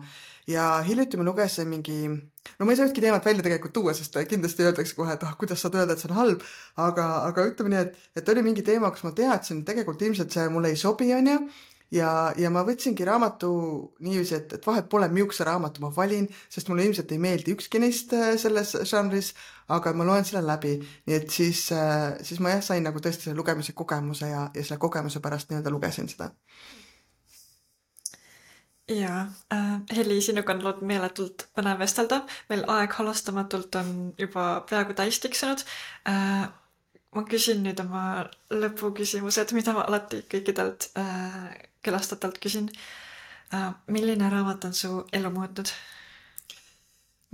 Ja hiljuti ma lugesin mingi, ma ei saa ühtki teemat välja tegelikult tuua, sest kindlasti öeldakse kohe, et kuidas saad öelda, et see on halb, aga ütleme nii, et oli mingi teema, kus ma teadsin, tegelikult ilmselt see mulle ei sobi, on ju. Ja ma võtsingi raamatu niiviisi, et vahet pole, miukse raamatu ma valin, sest mulle ilmselt ei meeldi ükski neist selles žanris, aga ma loen selle läbi. Nii et siis ma sain nagu tõesti selle lugemise kogemuse ja selle kogemuse pärast nii-öelda lugesin seda. Jaa, Heli, sinuga on olnud meeletult põnev vestelda. Meil aeg halastamatult on juba peaaegu täis tiksunud. Ma küsin nüüd oma lõpuküsimused, mida ma alati kõikidelt külastajatelt küsin. Milline raamat on su elu muutnud?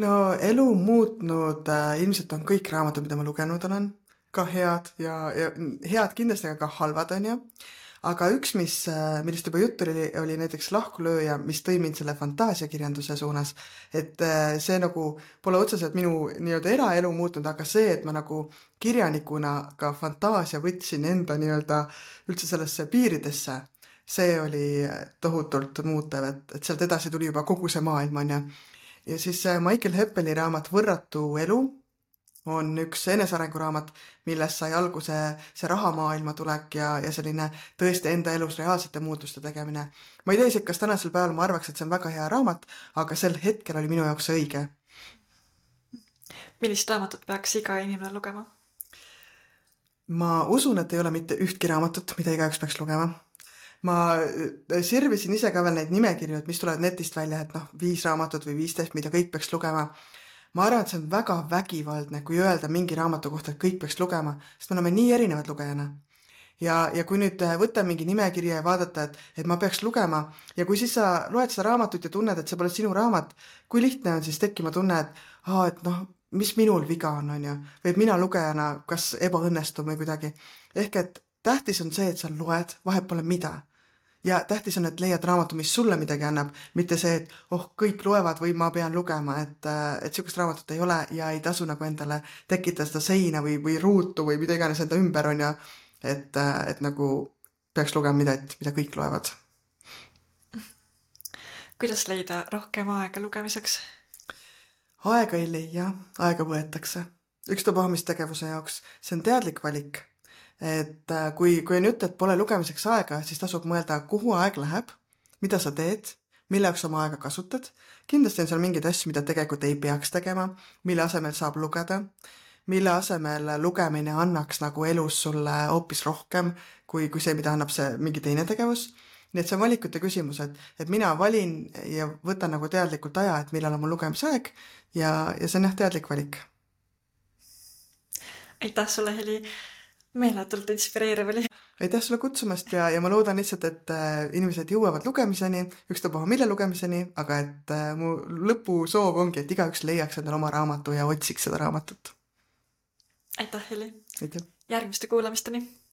no elu muutnud ilmselt on kõik raamatud, mida ma lugenud olen, ka head ja head kindlasti, aga ka halvad, on ju. Aga üks, millest juba juttu oli näiteks Lahkulööja, mis tõi mind selle fantaasiakirjanduse suunas, et see nagu pole otseselt minu nii-öelda eraelu muutnud, aga see, et ma nagu kirjanikuna ka fantaasia võtsin enda nii-öelda üldse sellesse piiridesse, see oli tohutult muutev, et sealt edasi tuli juba kogu see maailm, on ju. Ja siis Michael Heppeli raamat Võrratu elu on üks enesearenguraamat, millest sai alguse see rahamaailma tulek ja selline tõesti enda elus reaalsete muutuste tegemine. Ma ei tea isegi, kas tänasel päeval ma arvaks, et see on väga hea raamat, aga sel hetkel oli minu jaoks see õige. Millist raamatut peaks iga inimene lugema? Ma usun, et ei ole mitte ühtki raamatut, mida igaüks peaks lugema. Ma sirvisin ise ka veel neid nimekirju, et mis tulevad netist välja, et 5 raamatut või 15, mida kõik peaks lugema. Ma arvan, et see on väga vägivaldne, kui öelda mingi raamatu kohta, et kõik peaks lugema, sest me oleme nii erinevad lugejana. Ja kui nüüd võtta mingi nimekirja ja vaadata, et ma peaks lugema, ja kui siis sa loed seda raamatut ja tunned, et see pole sinu raamat, kui lihtne on siis tekkima tunne, et mis minul viga on ju, või et mina lugejana kas ebaõnnestun või kuidagi. Ehk et tähtis on see, et sa loed, vahet pole mida. Ja tähtis on, et leiad raamatu, mis sulle midagi annab, mitte see, et kõik loevad või ma pean lugema, et sihukest raamatut ei ole ja ei tasu nagu endale tekitada seda seina või ruutu või mida iganes enda ümber on ja et nagu peaks lugema mida kõik loevad. Kuidas leida rohkem aega lugemiseks? Aega ei leia, aega võetakse. Ükstapuha mis tegevuse jaoks, see on teadlik valik. Et kui on jutt, et pole lugemiseks aega, siis tasub mõelda, kuhu aeg läheb, mida sa teed, mille jaoks oma aega kasutad. Kindlasti on seal mingeid asju, mida tegelikult ei peaks tegema, mille asemel saab lugeda, mille asemel lugemine annaks nagu elus sulle hoopis rohkem kui see, mida annab see mingi teine tegevus. Nii et see on valikute küsimus, et mina valin ja võtan nagu teadlikult aja, et millal on mul lugemisaeg ja see on teadlik valik. Aitäh sulle, Heli! Meeletult inspireeriv oli. Aitäh sulle kutsumast ja ma loodan lihtsalt, et inimesed jõuavad lugemiseni, ükstapuha mille lugemiseni, aga et mu lõpusoov ongi, et igaüks leiaks endale oma raamatu ja otsiks seda raamatut. Aitäh, Heli! Aitäh! Järgmiste kuulamisteni!